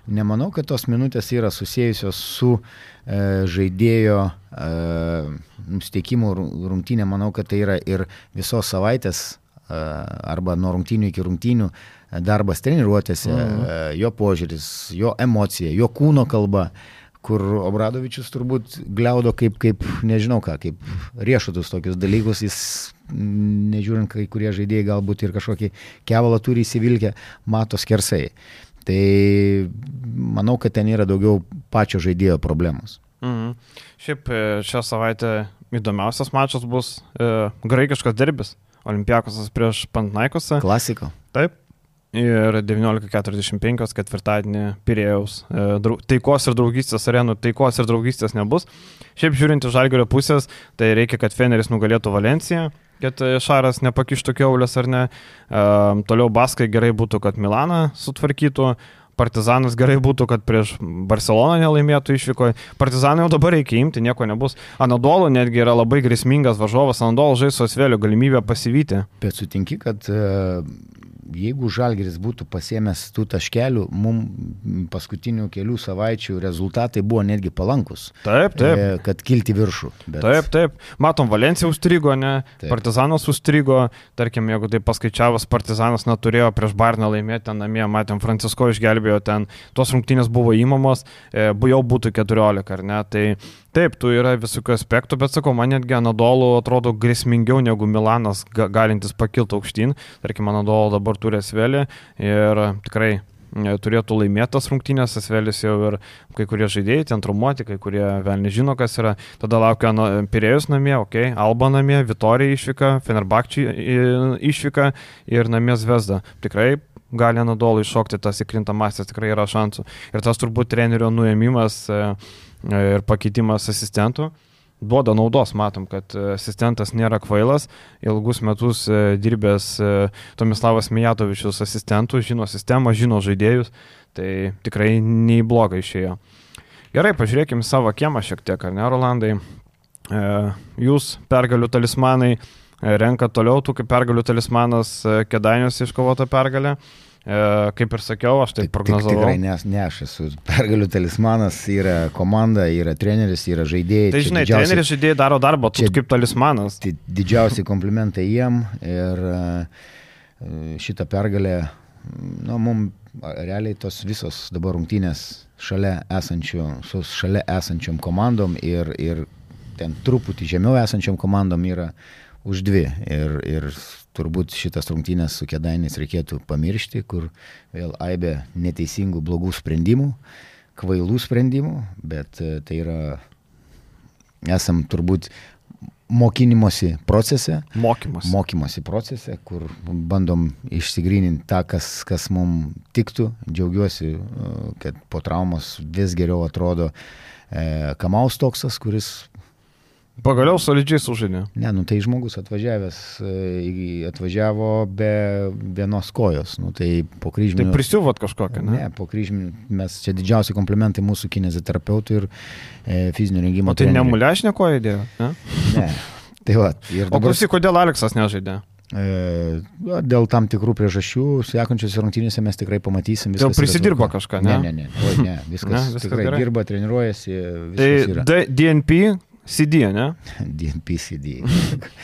Speaker 2: Nemanau, kad tos minutės yra susijusios su e, žaidėjo e, nusiteikimu rungtynė. Manau, kad tai yra ir visos savaitės e, arba nuo rungtynių iki rungtynių darbas treniruotėse, mm. e, jo požiūris, jo emocija, jo kūno kalba, kur Obradovičius turbūt gliaudo kaip, kaip, nežinau ką, kaip riešutus tokius dalykus, jis, nežiūrint, kai kurie žaidėjai galbūt ir kažkokį kevalą turi įsivilkę, mato skersai. Tai manau, kad ten yra daugiau pačio žaidėjo problemos.
Speaker 1: Mhm. Šiaip šią savaitę įdomiausias mačas bus e, graikiškas derbis, Olympiakosas prieš Panathinaikosą.
Speaker 2: Klasiko.
Speaker 1: Taip. Ir devyniolika keturiasdešimt penki ketvirtadienį Pirėjaus taikos ir draugystės arenų, taikos ir draugystės nebus. Šiaip žiūrint iš Žalgirio pusės, tai reikia, kad Feneris nugalėtų Valenciją, kad Šaras nepakištų kiaulės ar ne. Toliau Baskai gerai būtų, kad Milaną sutvarkytų. Partizanas gerai būtų, kad prieš Barceloną nelaimėtų išvykoje. Partizaną jau dabar reikia imti, nieko nebus. Anadolu netgi yra labai grėsmingas varžovas. Anadolu žais su Asveliu, galimybę pasivyti.
Speaker 2: Bet sutinki, kad jeigu Žalgiris būtų pasiėmęs tų taškelių, mums paskutinių kelių savaičių rezultatai buvo netgi palankus.
Speaker 1: Taip, taip.
Speaker 2: E, kad kilti viršų. Bet...
Speaker 1: Taip, taip. Matom, Valencija užstrigo, ne? Taip. Partizanas užstrigo. Tarkim, jeigu tai paskaičiavus, Partizanas neturėjo prieš Bariną laimėti ten namie, matėm, Francisko išgelbėjo ten, tos rungtynės buvo įmamos, e, jau būtų keturiolika, ar ne? Tai taip, tu yra visokių aspektų, bet sakau, man netgi Anadolu atrodo grėsmingiau negu Milanas ga, galintis pakilti aukštyn. Tarkim, Anadolu dabar turi Asvelį ir tikrai turėtų laimėtas rungtynės. Asvelis jau ir kai kurie žaidėjai ten traumuoti, kai kurie vėl nežino, kas yra. Tada laukia Pirėjus namie, okay, Alba namie, Vitorija išvyka, Fenerbahčė išvyka ir namie Zvezda. Tikrai gali Anadolu iššokti tas įkrintamąsias, tikrai yra šansų. Ir tas turbūt trenerio nuėmimas ir pakeitimas asistentų duoda naudos. Matom, kad asistentas nėra kvailas, ilgus metus dirbęs Tomislavas Mijatovičius asistentų, žino sistemą, žino žaidėjus, tai tikrai neįblogai išėjo. Gerai, pažiūrėkime savo kiemą šiek tiek, ar ne, Rolandai? Jūs pergalių talismanai renka toliau, tu kaip pergalių talismanas Kėdainiuose iškovota pergalė. E, kaip ir sakiau, aš tai prognozavau.
Speaker 2: Tikrai ne, ne aš esu pergalių talismanas, yra komanda, yra treneris, yra žaidėjai.
Speaker 1: Tai žinai, didžiausi... treneris žaidėjai daro darbą, tu kaip talismanas.
Speaker 2: Tai didžiausi komplimentai jiem ir šitą pergalę, na, mums realiai tos visos dabar rungtynės šalia esančių, su šalia esančiom komandom ir, ir ten truputį žemiau esančiom komandom yra už dvi. Ir, ir turbūt šitas rungtynės su Kėdainiais reikėtų pamiršti, kur vėl aibė neteisingų, blogų sprendimų, kvailų sprendimų, bet tai yra, esam turbūt mokinimosi procese,
Speaker 1: mokymosi.
Speaker 2: mokymosi procese, kur bandom išsigryninti tą, kas, kas mums tiktų. Džiaugiuosi, kad po traumos vis geriau atrodo e, Kamaus Toksas, kuris
Speaker 1: pagaliau solidžiai sužaidė.
Speaker 2: Ne, nu tai žmogus atvažiavęs, atvažiavo be vienos kojos. Nu, tai po kryžminių...
Speaker 1: Tai prisiuvot kažkokią, ne?
Speaker 2: Ne, po kryžminių. Mes čia didžiausi komplimentai mūsų kineziterapeutų ir e, fizinio rengimo
Speaker 1: trenerių. O tai
Speaker 2: trenerių.
Speaker 1: ne mulešinė koja įdėjo? Ne?
Speaker 2: Ne. Tai va, ir dabar...
Speaker 1: O klausyk, kodėl Aleksas nežaidė?
Speaker 2: E, dėl tam tikrų priežasčių, sekančiose rungtynėse mes tikrai pamatysim.
Speaker 1: Dėl prisidirbo kažką, ne?
Speaker 2: Ne, ne, ne. Oi, ne. Viskas,
Speaker 1: ne, viskas
Speaker 2: tikrai
Speaker 1: gerai.
Speaker 2: Dirba, treniruojasi.
Speaker 1: Tai
Speaker 2: yra.
Speaker 1: D N P C D, ne?
Speaker 2: D N P C D.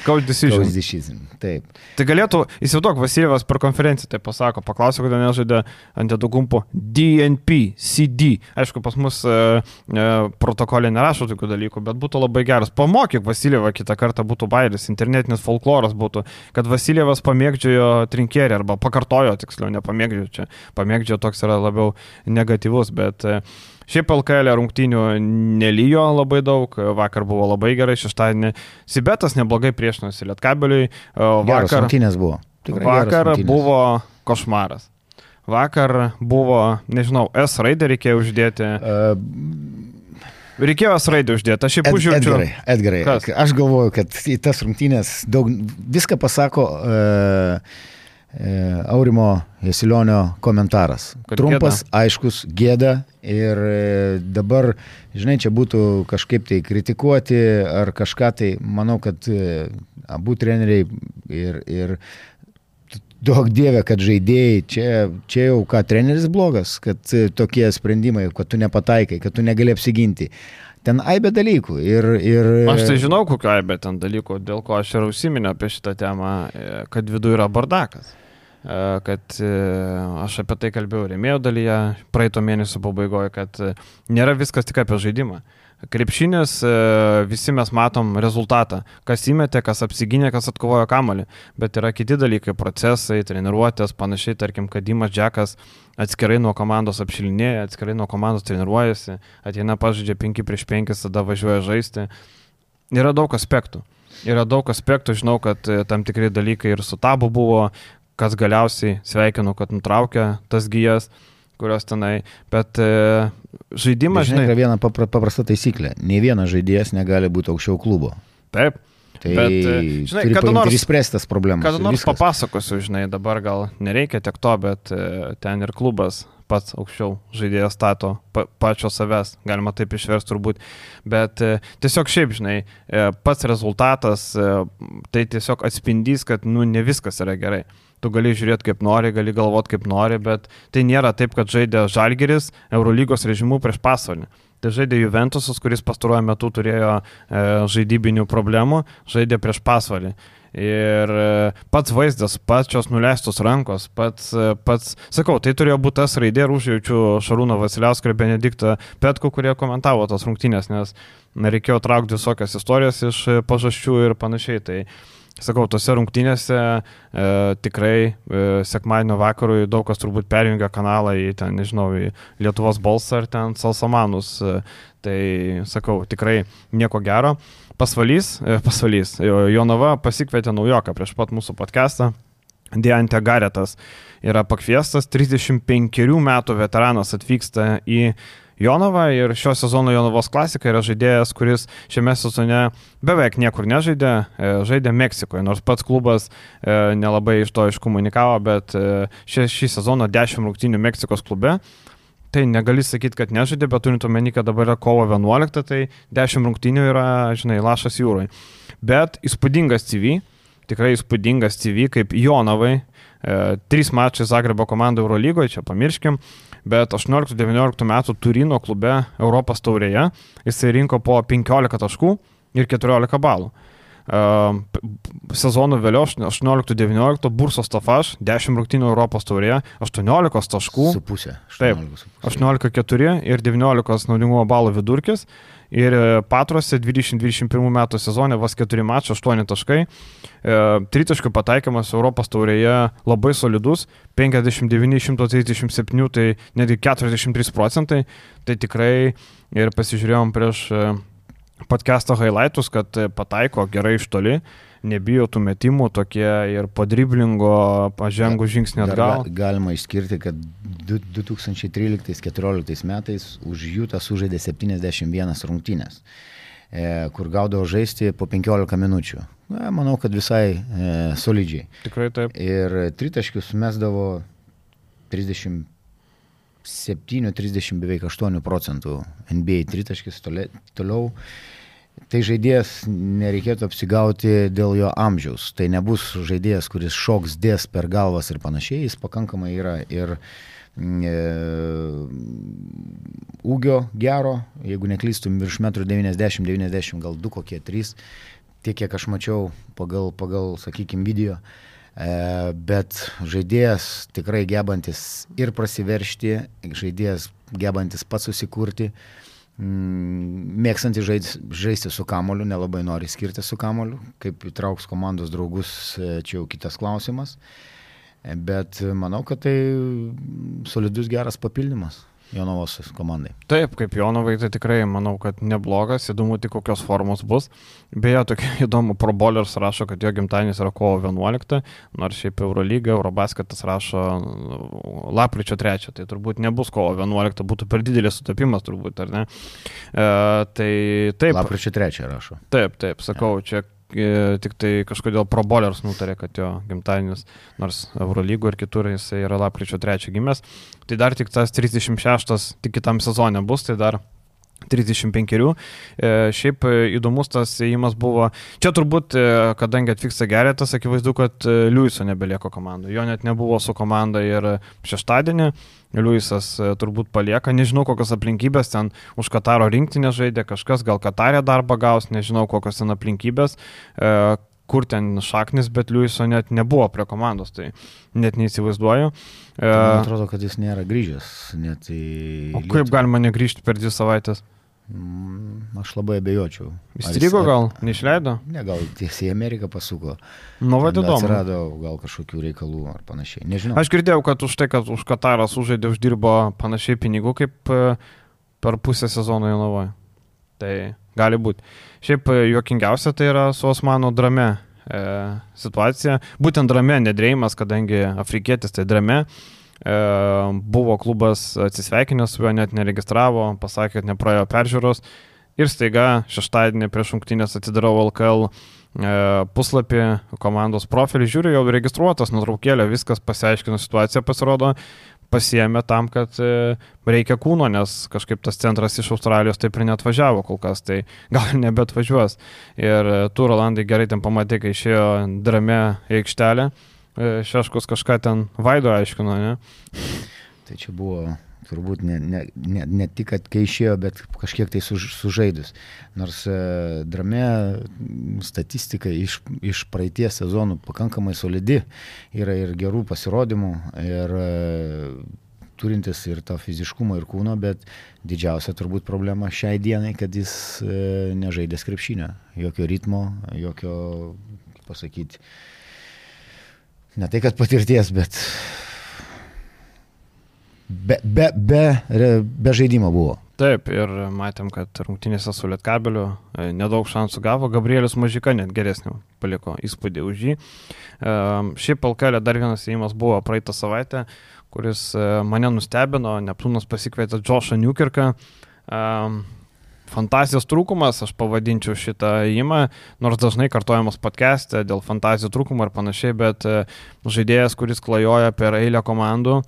Speaker 1: Coach decision.
Speaker 2: Coach decision, taip.
Speaker 1: Tai galėtų, įsivaizduok, Vasiljevas per konferenciją tai pasako, paklausė, kodėl nežaidė Antetokounmpo D N P C D. Aišku, pas mus e, e, protokolė nerašo tokių dalykų, bet būtų labai geras. Pamokyk Vasiljevą kitą kartą, būtų bairis, internetinis folkloras būtų, kad Vasiljevas pamėgdžiojo trinkierį, arba pakartojo, tiksliau, nepamėgdžiojo čia. Pamėgdžiojo toks yra labiau negatyvus, bet... E, Šiaip L K L rungtynių nelyjo labai daug, vakar buvo labai gerai, šeštadienį Sibetas neblogai priešinosi Lietkabeliui.
Speaker 2: Geras rungtynės buvo. Tikrai
Speaker 1: vakar buvo košmaras. Vakar buvo, nežinau, S raidę reikėjo uždėti. Uh, reikėjo S raidę uždėti, aš šiaip užjaučiu.
Speaker 2: Edgarai, Edgarai. Kas? Aš galvoju, kad į tas rungtynės daug, viską pasako... Uh, Aurimo Jasilionio komentaras. Kad trumpas, gėda. Aiškus, gėda ir dabar, žinai, čia būtų kažkaip tai kritikuoti ar kažką tai, manau, kad abu treneriai ir, ir daug dievė, kad žaidėjai, čia, čia jau ką treneris blogas, kad tokie sprendimai, kad tu nepataikai, kad tu negali apsiginti. Ten aibė dalykų ir, ir...
Speaker 1: Aš tai žinau, kokio aibė ten dalykų, dėl ko aš ir užsiminiau apie šitą temą, kad viduje yra bardakas. Kad aš apie tai kalbėjau rėmėjo dalyje praeito mėnesio pabaigoje, kad nėra viskas tik apie žaidimą. Krepšinis, visi mes matom rezultatą, kas įmetė, kas apsigynė, kas atkovojo kamuolį, bet yra kiti dalykai, procesai, treniruotės, panašiai, tarkim, kad Dimas Džekas atskirai nuo komandos apšilinėja, atskirai nuo komandos treniruojasi, ateina pažaidžia penki prieš penkis, tada važiuoja žaisti. Yra daug aspektų. Yra daug aspektų, žinau, kad tam tikrai dalykai ir su Tabu buvo, kas galiausiai sveikinu, kad nutraukė tas gijas, kurios tenai, bet e, žaidimas,
Speaker 2: žinai, yra viena papra, paprasta taisyklė, nei vienas žaidėjas negali būti aukščiau klubo.
Speaker 1: Taip.
Speaker 2: Tai,
Speaker 1: bet, žinai, kada nors
Speaker 2: išspręstas problemas.
Speaker 1: Kada nors viskas. Papasakosiu, žinai, dabar gal nereikia tiek to, bet e, ten ir klubas pats aukščiau žaidėjas stato pa, pačio savęs, galima taip išversti turbūt, bet e, tiesiog šiaip, žinai, e, pats rezultatas, e, tai tiesiog atspindys, kad, nu, ne viskas yra gerai. Tu gali žiūrėti kaip nori, gali galvoti kaip nori, bet tai nėra taip, kad žaidė Žalgiris Eurolygos režimu prieš Pasvalį. Tai žaidė Juventusas, kuris pastaruoju metu turėjo e, žaidybinių problemų, žaidė prieš Pasvalį. Ir e, pats vaizdas, pačios nuleistos rankos, pats, e, pats, sakau, tai turėjo būti tas raidė ir užjaučiu Šarūną Vasiliauską ir Benediktą Petku, kurie komentavo tas rungtynės, nes reikėjo traukti visokias istorijas iš pažasčių ir panašiai. Tai sakau, tose rungtynėse e, tikrai e, sekmadienio vakarui daug kas turbūt perjungia kanalą į ten, nežinau, į Lietuvos balsą ar ten Salsamanus. E, tai, sakau, tikrai nieko gero. Pasvalys, e, pasvalys. Jonava pasikvietė naujoką prieš pat mūsų podcastą. Deante Garetas yra pakviestas, trisdešimt penkerių metų veteranas atvyksta į Jonava ir šio sezono Jonavos klasika yra žaidėjas, kuris šiame sezone beveik niekur nežaidė, žaidė Meksikoje, nors pats klubas nelabai iš to iškomunikavo, bet šį, šį sezoną dešimt rungtynių Meksikos klube. Tai negali sakyti, kad nežaidė, bet turint omeny, kad dabar yra kovo vienuolikta, tai dešimt rungtynių yra, žinai, lašas jūroje. Bet įspūdingas C V, tikrai įspūdingas C V kaip Jonavai, e, trys mačai Zagrebo komandų Eurolygoje, čia pamirškim, bet aštuonioliktų devynioliktų metų Turino klube Europos taurėje jisai rinko po penkiolika taškų ir keturiolika balų. sezonų vėliau, aštuonioliktų devyniolikttų, Bursos Tafaš, dešimt rungtynių Europos taurėje, aštuoniolika taškų.
Speaker 2: Su pusė.
Speaker 1: Taip, aštuoniolika keturi ir devyniolika naudingumo balų vidurkis. Ir Patrose dvidešimt dvidešimt pirmų metų sezone vos keturi mačai, aštuoni taškai. Tritaškių pataikymas Europos taurėje labai solidus, penkiasdešimt devyni iš šimto trisdešimt septyni, tai netgi keturiasdešimt trys procentai. Tai tikrai ir pasižiūrėjom prieš podcast'o highlightus, kad pataiko gerai iš toli, nebijo tų metimų, tokie ir po driblingo pažengų žingsnį atgal.
Speaker 2: Galima išskirti, kad du tūkstančiai tryliktais keturioliktais metais už Jutą sužaidė septyniasdešimt vienas rungtynės, kur gaudavo žaisti po penkiolika minučių. Na, manau, kad visai e, solidžiai.
Speaker 1: Tikrai taip.
Speaker 2: Ir tritaškius mesdavo trisdešimt septyni trisdešimt beveik aštuoni procentų N B A tritaškis toliau. Tai žaidėjas nereikėtų apsigauti dėl jo amžiaus. Tai nebus žaidėjas, kuris šoks dės per galvas ir panašiai. Jis pakankamai yra ir e, ūgio gero, jeigu neklystum virš metro devyniasdešimt devyniasdešimt, gal du kokie trys, tiek kiek aš mačiau pagal, pagal sakykime, video. E, bet žaidėjas tikrai gebantis ir prasiveršti, žaidėjas gebantis pats susikurti, mėgstantis žaisti su kamoliu, nelabai nori skirti su kamoliu, kaip įtrauks komandos draugus, čia jau kitas klausimas, bet manau, kad tai solidus geras papildymas Jonavos komandai.
Speaker 1: Taip, kaip Jonavai, tai tikrai manau, kad neblogas, įdomu tik kokios formos bus. Beje, tokia įdomu, Pro Bowlers rašo, kad jo gimtadienis yra kovo vienuolikta, nors šiaip Eurolyga, Eurobasketas rašo lapkričio trečią, tai turbūt nebus kovo vienuolikta, būtų per didelis sutapimas turbūt, ar ne? E, tai taip.
Speaker 2: Lapkričio trečią rašo.
Speaker 1: Taip, taip, sakau, ja. Čia tik tai kažkodėl Pro Bowlers nutarė, kad jo gimtadienis, nors Eurolygo ir kitur jisai yra lapkričio trečią gimęs, tai dar tik tas trisdešimt šeštas tik kitam sezone bus, tai dar trisdešimt penkerių. E, šiaip įdomus tas ėjimas buvo. Čia turbūt, kadangi atvyksta Geretas, akivaizdu, kad Liuiso nebelieko komandų. Jo net nebuvo su komanda ir šeštadienį. Liuisas turbūt palieka. Nežinau, kokios aplinkybės ten už Kataro rinktinę žaidė. Kažkas gal Katarė darbą gaus, nežinau, kokios ten aplinkybės. E, kur ten šaknis, bet Liuiso net nebuvo prie komandos, tai net neįsivaizduoju.
Speaker 2: Man atrodo, kad jis nėra grįžęs. Net į
Speaker 1: o kaip Lietuvą galima negrįžti per dvi savaitės?
Speaker 2: Aš labai abejočiau.
Speaker 1: Įstrigo gal? Neišleido?
Speaker 2: Ne, gal tiesiai į Ameriką pasuko.
Speaker 1: Nu, vad įdomu.
Speaker 2: Atsirado gal kažkokių reikalų ar panašiai. Nežinau.
Speaker 1: Aš girdėjau, kad už tai, kad už Katarą sužaidė, uždirbo panašiai pinigų kaip per pusę sezono Jonavoje. Tai gali būti. Šiaip juokingiausia tai yra su Osmano Drame e, situacija. Būtent Drame, nedrėjimas, kadangi afrikietis tai Drame. E, buvo klubas atsisveikinęs su juo, net neregistravo, pasakė, kad nepraėjo peržiūros. Ir staiga šeštadienį prieš rungtynes atidarau L K L e, puslapį, komandos profilį, žiūriu, jau registruotas, nuotraukėlė, viskas pasiaiškino situaciją, pasirodo. Pasiėmė tam, kad reikia kūno, nes kažkaip tas centras iš Australijos taip ir neatvažiavo kol kas, tai gal nebetvažiuos. Ir tu, Rolandai, gerai ten pamatė, kai išėjo Drame į aikštelę, Šeškus kažką ten Vaido aiškino, ne?
Speaker 2: Tai čia buvo turbūt ne, ne, ne, ne tik, kad kai išėjo, bet kažkiek tai suž, sužaidus. Nors e, Drame statistika iš, iš praeities sezonų pakankamai solidi, yra ir gerų pasirodymų, ir e, turintis ir to fiziškumo ir kūno, bet didžiausia turbūt problema šiai dienai, kad jis e, nežaidė krepšinio. Jokio ritmo, jokio, kaip pasakyti, ne tai, kad patirties, bet Be, be, be, be žaidimo buvo.
Speaker 1: Taip, ir matėm, kad rungtynėse su Lietkabeliu nedaug šansų gavo. Gabrielius Mažika net geresnį paliko įspūdį už jį. Šiaip L K L dar vienas įėjimas buvo praeitą savaitę, kuris mane nustebino. Neptūnas pasikvietė Joshą Newkirką. Fantazijos trūkumas, aš pavadinčiau šitą įėjimą, nors dažnai kartojamas podcast'e dėl fantazijos trūkumo ir panašiai, bet žaidėjas, kuris klajoja per eilę komandų,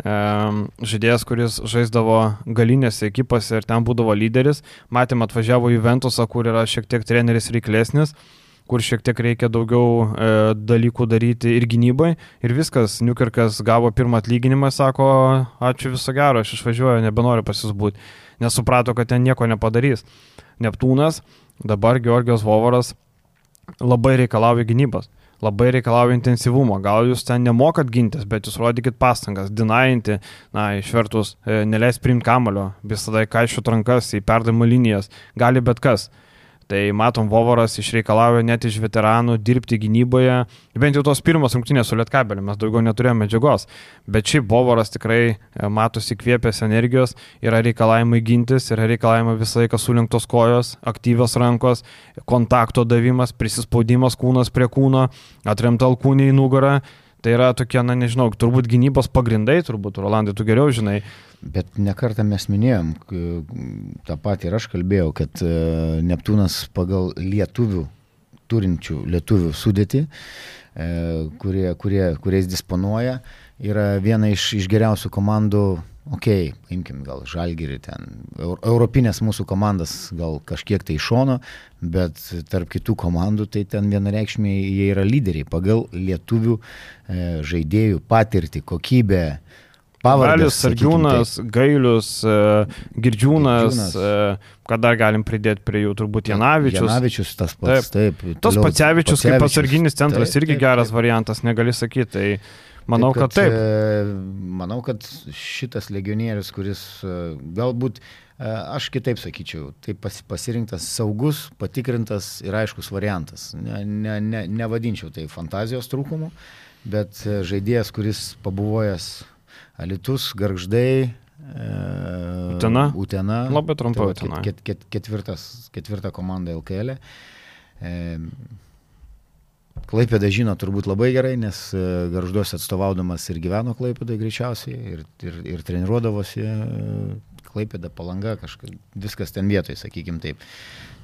Speaker 1: žaidėjas, kuris žaisdavo galinėse ekipose ir ten būdavo lyderis. Matėm, atvažiavo Juventusą, kur yra šiek tiek treneris reiklesnis, kur šiek tiek reikia daugiau e, dalykų daryti ir gynybai. Ir viskas, Newkirkas gavo pirmą atlyginimą, sako, ačiū viso gero, aš išvažiuoju, nebenoriu pas jus būti. Nes suprato, kad ten nieko nepadarys. Neptūnas, dabar Georgijos Vovaras labai reikalauja gynybos. Labai reikalauja intensyvumo. Gal jūs ten nemokat gintis, bet jūs rodykit pastangas, dinainti, na, išvertus, e, neleis priimti kamulio, visada kaiščiut rankas į perdavimo linijas, gali bet kas. Tai matom, Vovoras išreikalauja net iš veteranų dirbti gynyboje, bent jau tos pirmos rungtynės su Lietkabeliu, mes daugiau neturėjome medžiagos, bet šiaip Vovoras tikrai matosi įkvėpęs energijos, yra reikalavimai gintis, yra reikalavimai visą laiką surinktos kojos, aktyvios rankos, kontakto davimas, prisispaudimas kūnas prie kūno, atremta alkūnė į nugarą. Tai yra tokie, na nežinau, turbūt gynybos pagrindai, turbūt, Rolandai, tu geriau žinai.
Speaker 2: Bet nekartą mes minėjom, tą patį ir aš kalbėjau, kad Neptūnas pagal lietuvių, turinčių lietuvių sudėtį, kurie, kurie, kuriais disponuoja, yra viena iš, iš geriausių komandų, okei, okay, imkim gal Žalgirį ten, europinės mūsų komandas gal kažkiek tai iš šono, bet tarp kitų komandų tai ten vienareikšmiai jie yra lyderiai pagal lietuvių e, žaidėjų patirtį, kokybę, pavardės.
Speaker 1: Sargiūnas, Gailius, e, Girdžiūnas, Girdžiūnas. E, ką dar galim pridėti prie jų, turbūt Janavičius.
Speaker 2: Janavičius tas pats, taip. taip
Speaker 1: tas Pacevičius kaip atsarginis centras taip, irgi taip, geras taip. variantas, negali sakyti. Tai manau, taip, kad, kad taip.
Speaker 2: Manau, kad šitas legionierius, kuris galbūt, aš kitaip sakyčiau, tai pasirinktas saugus, patikrintas ir aiškus variantas. Ne, ne, ne, nevadinčiau tai fantazijos trūkumu, bet žaidėjas, kuris pabuvojęs Alytus, Gargždai,
Speaker 1: Utena.
Speaker 2: Utena.
Speaker 1: Labai trumpai tai Utena.
Speaker 2: Ket, ket, ketvirtas, ketvirta komanda L K L. E, Klaipėda žino turbūt labai gerai, nes Gargžduose atstovaudamas ir gyveno Klaipėdai greičiausiai, ir, ir, ir treniruodavosi Klaipėda, Palanga, kažkas, viskas ten vietoj, sakykim taip.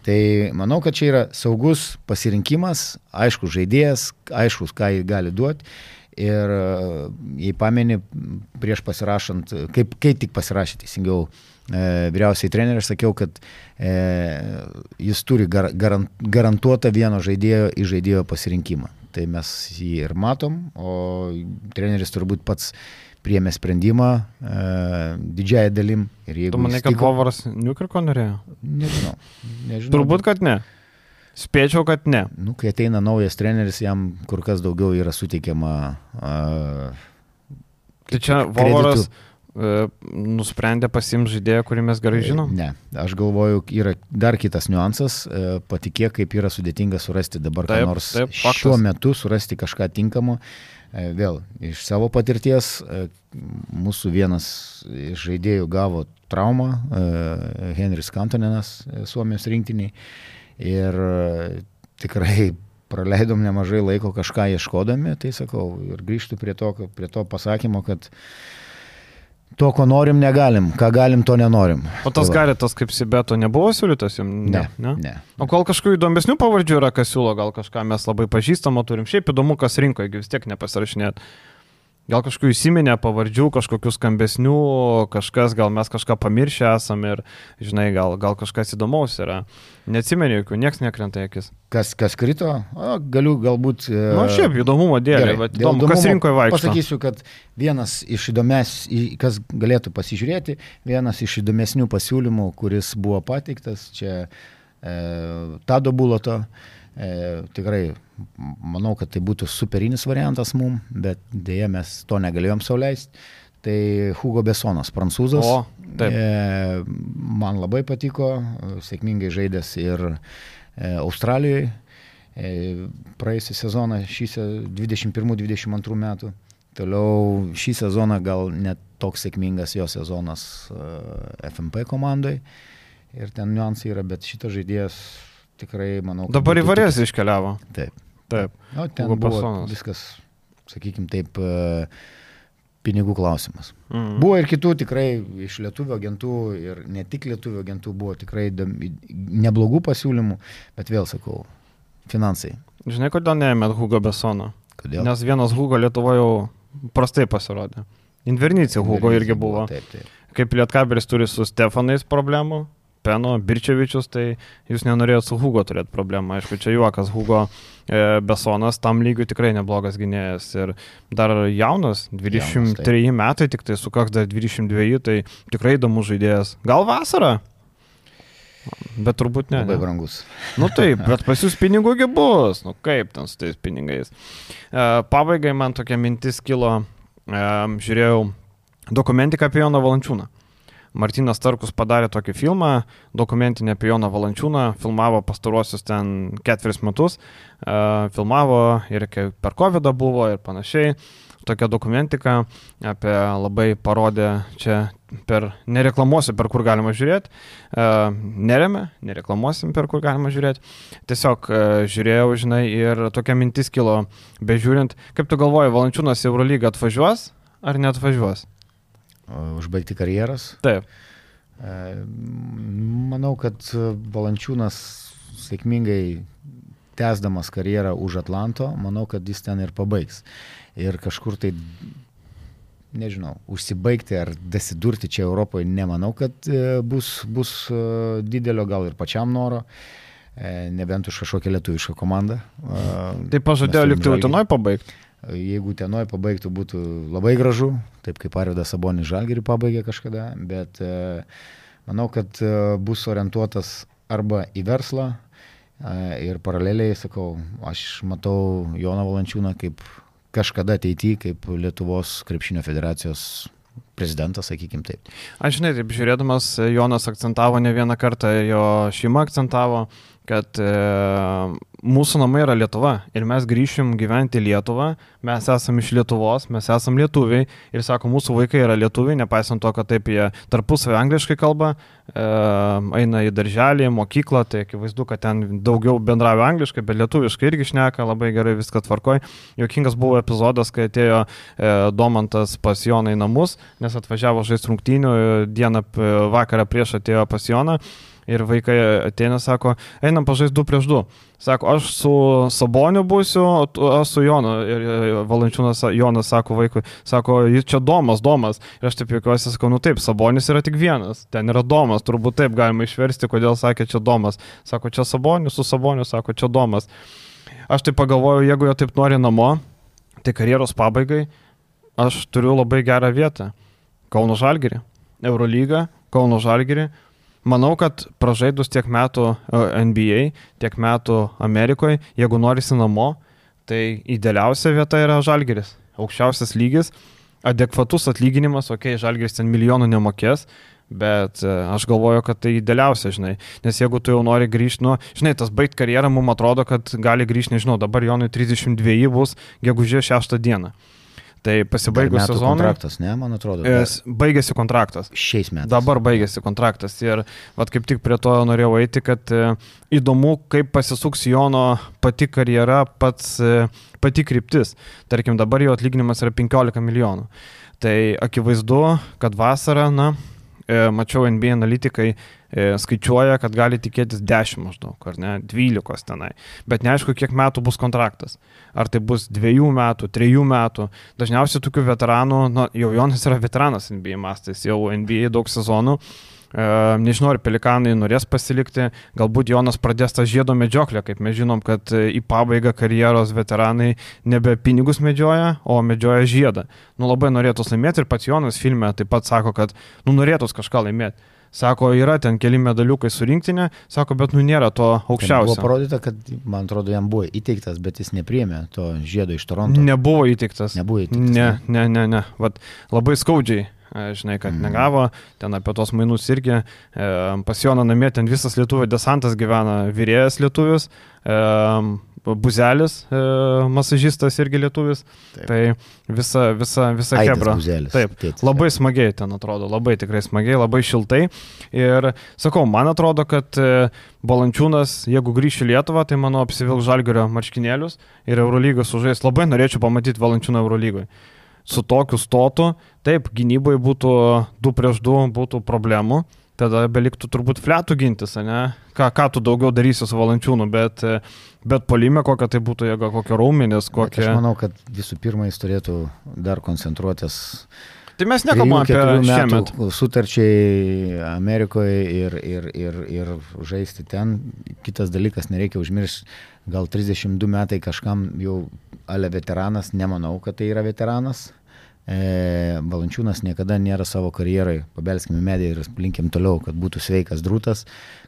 Speaker 2: Tai manau, kad čia yra saugus pasirinkimas, aiškus žaidėjas, aiškus, ką jį gali duoti. Ir jei pameni, prieš pasirašant, kaip, kai tik pasirašė teisingiau e, vyriausiai treneriui, aš sakiau, kad e, jis turi gar, garant, garantuotą vieno žaidėjo į žaidėjo pasirinkimą. Tai mes jį ir matom, o treneris turbūt pats priėmė sprendimą e, didžiąją dalim. Ir
Speaker 1: tu manai, kad Vovoras Newkirko norėjo?
Speaker 2: Nežinau. nežinau
Speaker 1: turbūt, kad ne. Spėčiau, kad ne.
Speaker 2: Nu, kai ateina naujas treneris, jam kur kas daugiau yra suteikiama uh,
Speaker 1: tai čia Vovoras uh, nusprendė pasiimti žaidėją, kurį mes gerai žinom?
Speaker 2: Ne, aš galvoju, yra dar kitas niuansas, uh, patikėk, kaip yra sudėtinga surasti dabar taip, ką nors taip, šiuo metu, surasti kažką tinkamo. Uh, vėl, iš savo patirties, uh, mūsų vienas iš žaidėjų gavo traumą, uh, Henris Kantonenas, uh, Suomijos rinktiniai. Ir tikrai praleidom nemažai laiko kažką ieškodami, tai sakau, ir grįžtu prie to, prie to pasakymo, kad to, ko norim, negalim, ką galim, to nenorim.
Speaker 1: O tas Garitas kaip Sibeto nebuvo siūlytas jums?
Speaker 2: Ne, ne, ne.
Speaker 1: O gal kažkokių įdomesnių pavardžių yra, kas siūlo, gal kažką mes labai pažįstamo turim, šiaip įdomu, kas rinko, jeigu vis tiek nepasirašinėt. Gal kažkokių įsiminę pavardžių, kažkokių skambesnių, kažkas, gal mes kažką pamiršę esam ir, žinai, gal, gal kažkas įdomaus yra. Neatsimeni jokių, nieks nekrenta akis.
Speaker 2: Kas, kas krito? O, galiu galbūt...
Speaker 1: Na, nu, šiaip įdomumo dėlė, bet įdomu, kas rinkoje vaikšto.
Speaker 2: Pasakysiu, kad vienas iš įdomės, kas galėtų pasižiūrėti, vienas iš įdomesnių pasiūlymų, kuris buvo pateiktas, čia e, Tado Buloto, e, tikrai manau, kad tai būtų superinis variantas mum, bet dėja mes to negalėjom sau leisti. Tai Hugo Bessonas, prancūzas. O, taip. E, man labai patiko, sėkmingai žaidęs ir e, Australijoje. E, praėjusią sezoną, šį dvidešimt pirmų dvidešimt antrų metų. Toliau šį sezoną gal net toks sėkmingas jo sezonas e, F M P komandai. Ir ten niuansai yra, bet šitas žaidėjas tikrai, manau...
Speaker 1: Dabar į Varėzą iškeliavo.
Speaker 2: Taip.
Speaker 1: Taip.
Speaker 2: O, ten Hugo buvo Bessonas. Viskas, sakykime taip, pinigų klausimas. Mm. Buvo ir kitų tikrai iš lietuvių agentų ir ne tik lietuvių agentų buvo tikrai neblogų pasiūlymų, bet vėl sakau, finansai.
Speaker 1: Žinai, kodėl neėmėt Hugo Bessono?
Speaker 2: Kodėl?
Speaker 1: Nes vienas Hugo Lietuvoje jau prastai pasirodė. Invernicija Hugo irgi buvo.
Speaker 2: buvo taip, taip.
Speaker 1: Kaip Lietkabelis turi su Stefanais problemų, Peno, Birčevičius, tai jūs nenorėjot su Hugo turėti problemą. Aišku, čia juokas, Hugo e, Bessonas tam lygiu tikrai neblogas gynėjas ir dar jaunas, dvidešimt treji metai, tik tai sukaks dar dvidešimt dveji, tai tikrai įdomus žaidėjas. Gal vasarą? Bet turbūt ne.
Speaker 2: Labai
Speaker 1: ne.
Speaker 2: brangus.
Speaker 1: Nu taip, bet pas jūs pinigųgi bus. Nu kaip ten su tais pinigais. Uh, pabaigai man tokia mintis kilo, uh, žiūrėjau dokumentiką apie Joną Valančiūną. Martynas Starkus padarė tokį filmą, dokumentinį apie Joną Valančiūną, filmavo pastaruosius ten ketveris metus, uh, filmavo ir per kovidą buvo ir panašiai. Tokia dokumentika apie labai parodė čia per, nereklamuosiu, per kur galima žiūrėti, uh, neremia, nereklamuosim, per kur galima žiūrėti. Tiesiog uh, žiūrėjau, žinai, ir tokia mintis kilo, bežiūrint, kaip tu galvoji, Valančiūnas į Eurolygą atvažiuos ar neatvažiuos?
Speaker 2: Užbaigti karjeras.
Speaker 1: Taip.
Speaker 2: Manau, kad Valančiūnas sėkmingai tęsdamas karjerą už Atlanto, manau, kad jis ten ir pabaigs. Ir kažkur tai, nežinau, užsibaigti ar dasidurti čia Europoje, nemanau, kad bus, bus didelio gal ir pačiam noro, nebent už kažkokią lietuvišką komandą.
Speaker 1: Tai pažadėjo likti Utenoj pabaigti.
Speaker 2: Jeigu Utenoj pabaigtų, būtų labai gražu, taip kaip Arvydas Sabonis Žalgirį pabaigė kažkada, bet e, manau, kad e, bus orientuotas arba į verslą e, ir paraleliai, sakau, aš matau Joną Valančiūną kaip kažkada ateityje, kaip Lietuvos krepšinio federacijos prezidentas, sakykim taip.
Speaker 1: Aš žinai, taip žiūrėdamas, Jonas akcentavo ne vieną kartą, jo šeima akcentavo, kad e, mūsų namai yra Lietuva ir mes grįšim gyventi į Lietuvą, mes esam iš Lietuvos, mes esam lietuviai ir sako, mūsų vaikai yra lietuviai, nepaisant to, kad taip jie tarpusavį angliškai kalba, e, eina į darželį, mokyklą, tai akivaizdu, kad ten daugiau bendrauja angliškai, bet lietuviškai irgi šneka, labai gerai viską tvarkoj. Juokingas buvo epizodas, kai atėjo e, Domantas pas Joną į namus, nes atvažiavo žaisti rungtynių, dieną vakarą prieš atėjo pas Joną. Ir vaikai ateina, sako, einam pažaisti du prieš du. Sako, aš su Saboniu būsiu, o aš su Jonu. Ir Valančiūnas Jonas sako vaikui, sako, jis čia Domas, Domas. Ir aš taip juokiuosi, sakau, nu taip, Sabonis yra tik vienas. Ten yra Domas, turbūt taip galima išversti, kodėl sakė čia Domas. Sako, čia Saboniu, su Saboniu, sako, čia Domas. Aš taip pagalvoju, jeigu jo taip nori namo, tai karjeros pabaigai aš turiu labai gerą vietą. Kauno Žalgirį, Eurolygą, Kauno Žalgirį. Manau, kad pražaidus tiek metų N B A, tiek metų Amerikoje, jeigu norisi namo, tai idealiausia vieta yra Žalgiris. Aukščiausias lygis, adekvatus atlyginimas, okei, okay, Žalgiris ten milijonų nemokės, bet aš galvoju, kad tai idealiausia, žinai. Nes jeigu tu jau nori grįžti, nu, žinai, tas baigt karjerą, mums atrodo, kad gali grįžti, nežinau, dabar Jonui trisdešimt dveji bus gegužės šeštą dieną. Tai pasibaigus sezonui.
Speaker 2: Kontraktas, ne, man atrodo.
Speaker 1: Baigėsi kontraktas.
Speaker 2: Šiais metais.
Speaker 1: Dabar baigėsi kontraktas. Ir vat kaip tik prie to norėjau eiti, kad e, įdomu, kaip pasisuks Jono pati karjera, pats, e, pati kryptis. Tarkim, dabar jo atlyginimas yra penkiolika milijonų. Tai akivaizdu, kad vasarą, na, e, mačiau N B A analitikai, skaičiuoja, kad gali tikėtis dešimt maždaug, ar ne, dvylikos tenai. Bet neaišku, kiek metų bus kontraktas. Ar tai bus dviejų metų, trijų metų. Dažniausiai tokių veteranų, na, jau Jonas yra veteranas N B A mastais, jau N B A daug sezonų. E, nežinau, ar Pelikanai norės pasilikti, galbūt Jonas pradės tą žiedo medžioklę, kaip mes žinom, kad į pabaigą karjeros veteranai nebe pinigus medžioja, o medžioja žiedą. Nu, labai norėtų laimėti ir pats Jonas filme taip pat sako, kad nu, norėtų kažką laimėti. Sako, yra ten keli medaliukai su rinktinė, sako, bet nu nėra to aukščiausio.
Speaker 2: Buvo parodyta, kad, man atrodo, jam buvo įteiktas, bet jis nepriėmė to žiedo iš Toronto.
Speaker 1: Nebuvo įteiktas.
Speaker 2: Nebuvo įteiktas.
Speaker 1: Ne, ne, ne, ne. Vat, labai skaudžiai, žinai, kad mm. negavo, ten apie tos mainus irgi. E, pas Joną namie ten visas lietuvių desantas gyvena, vyrėjas lietuvis, e, Buzelis, e, masažistas irgi lietuvis. Taip. Tai visa, visa, visa kebra. Taip, tėtis, labai taip. Smagiai ten atrodo, labai tikrai smagiai, labai šiltai. Ir sakau, man atrodo, kad Valančiūnas, jeigu grįš į Lietuvą, tai mano apsivilk Žalgirio marškinėlius ir Eurolygą sužais. Labai norėčiau pamatyti Valančiūną Eurolygoje. Su tokiu stotu, taip, gynyboje būtų du prieš du, būtų problemų. Tada beliktų turbūt fletų gintis, ne? Ką, ką tu daugiau darysi su Valančiūnu, bet, bet polime kokia tai būtų jėga, kokia raumenis, kokia...
Speaker 2: Aš manau, kad visų pirma jis turėtų dar koncentruotis.
Speaker 1: Tai mes nekalbam apie šiemet.
Speaker 2: Sutarčiai Amerikoje ir, ir, ir, ir žaisti ten. Kitas dalykas, nereikia užmiršti, gal trisdešimt du metai kažkam jau ale veteranas, nemanau, kad tai yra veteranas E, Valančiūnas niekada nėra savo karjerai, pabelskime medį ir linkim toliau, kad būtų sveikas drūtas,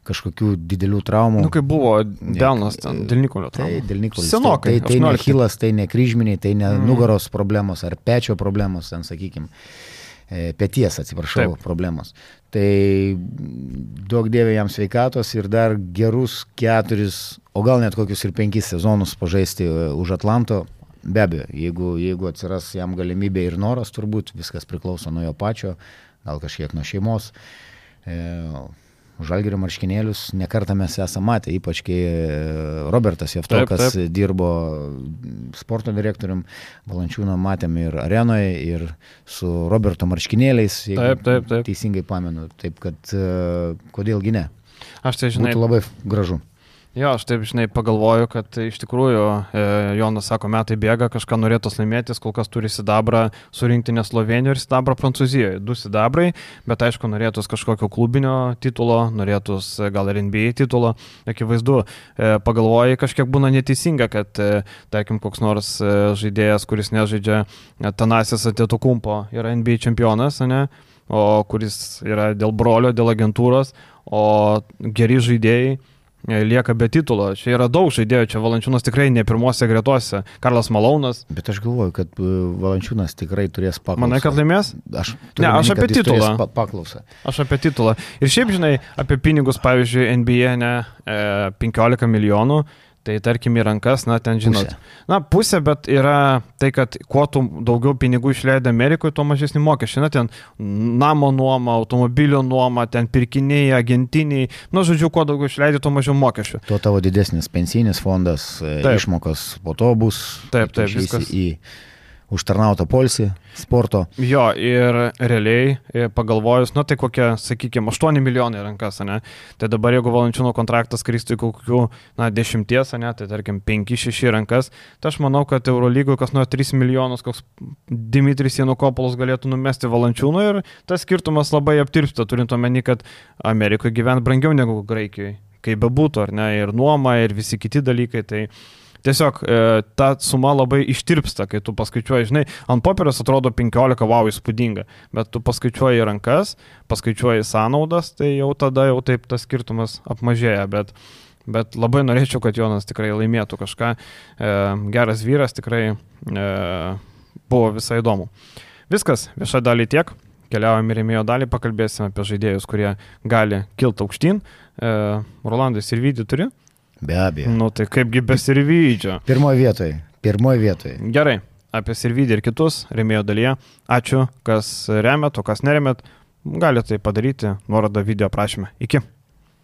Speaker 2: kažkokių didelių traumų.
Speaker 1: Nu, kaip buvo Delnas ten, dėl Nikolio traumų.
Speaker 2: Tai dėl Nikolis.
Speaker 1: Senokai.
Speaker 2: Tai, tai, tai ne Hilas, tai ne kryžminiai, tai ne mm. nugaros problemos ar pečio problemos, ten sakykime, peties, atsiprašau, Taip. problemos. Tai daug dievė jam sveikatos ir dar gerus keturis, o gal net kokius ir penkis sezonus pažaisti už Atlanto. Be abejo, jeigu, jeigu atsiras jam galimybė ir noras, turbūt viskas priklauso nuo jo pačio, gal kažkiek nuo šeimos. E, Žalgirio marškinėlius nekartą mes esame matę, ypač kai Robertas Jevtokas taip, taip. dirbo sporto direktorium, Valančiūną matėm ir arenoje, ir su Roberto marškinėliais, jeigu taip, taip, taip. teisingai pamenu. Taip kad kodėlgi ne?
Speaker 1: Aš tai žinai.
Speaker 2: Būtų labai gražu.
Speaker 1: Jo, aš taip, žinai, pagalvoju, kad iš tikrųjų e, Jonas sako, metai bėga, kažką norėtų laimėtis, kol kas turi sidabrą surinkti ne Slovenijoje ir sidabrą Prancūzijoje. Du sidabrai, bet aišku, norėtus kažkokio klubinio titulo, norėtus gal ir N B A titulo. Akivaizdu, e, pagalvoju, kažkiek būna neteisinga, kad, e, tarkim, koks nors e, žaidėjas, kuris nežaidžia Tanasis Antetokounmpo, yra N B A čempionas, ne? O kuris yra dėl brolio, dėl agentūros, o geri žaidėjai lieka be titulo. Čia yra daug žaidėjų, čia Valančiūnas tikrai ne pirmose gretose. Karlas Malaunas.
Speaker 2: Bet aš galvoju, kad Valančiūnas tikrai turės paklausą.
Speaker 1: Manai, kad laimės?
Speaker 2: Aš,
Speaker 1: ne, aš apie titulą.
Speaker 2: Pa paklausą.
Speaker 1: Aš apie titulą. Ir šiaip, žinai, apie pinigus, pavyzdžiui, N B A, ne, penkiolika milijonų. Tai tarkim į rankas, na, ten žinot. Pusė. Na, pusė, bet yra tai, kad kuo tu daugiau pinigų išleidai Amerikoje, tuo mažesnį mokesčių. Na, ten namo nuoma, automobilio nuoma, ten pirkiniai, agentiniai. Na, žodžiu, kuo daugiau išleidai, tuo mažiau mokesčių.
Speaker 2: Tuo tavo didesnis pensinis fondas, taip. Išmokos po to bus.
Speaker 1: Taip, taip, viskas.
Speaker 2: Į užtarnautą poilsį, sporto.
Speaker 1: Jo, ir realiai pagalvojus, nu tai kokie, sakykime, aštuoni milijonai rankas, ne? Tai dabar jeigu Valančiūno kontraktas kristų į kokių, na, dešimties, ne? Tai tarkim, penki šeši rankas, tai aš manau, kad Eurolygoje kas nuo tris milijonus, koks Dimitris Janukopulos galėtų numesti Valančiūno ir tas skirtumas labai aptirpsta, turint omeny, kad Amerikoje gyvent brangiau negu Graikijoje, kaip bebūtų, ar ne, ir nuoma, ir visi kiti dalykai, tai tiesiog e, ta suma labai ištirpsta, kai tu paskaičiuoji, žinai, ant popieros atrodo penkiolika, wow, įspūdinga, bet tu paskaičiuoji rankas, paskaičiuoji sąnaudas, tai jau tada jau taip tas skirtumas apmažėja, bet, bet labai norėčiau, kad Jonas tikrai laimėtų kažką. E, geras vyras, tikrai e, buvo visai įdomu. Viskas, viešą dalį tiek, keliaujame į rėmėjo dalį, pakalbėsime apie žaidėjus, kurie gali kilti aukštyn. E, Rolandai, Sirvydį turi?
Speaker 2: Be abejo.
Speaker 1: Nu tai kaipgi be Sirvydžio.
Speaker 2: Pirmoje vietoje. Pirmoje vietoje.
Speaker 1: Gerai, apie Sirvydį ir kitus rėmėjo dalyje. Ačiū, kas remėt, o kas neremėt, galite tai padaryti, nuorodą video aprašyme. Iki.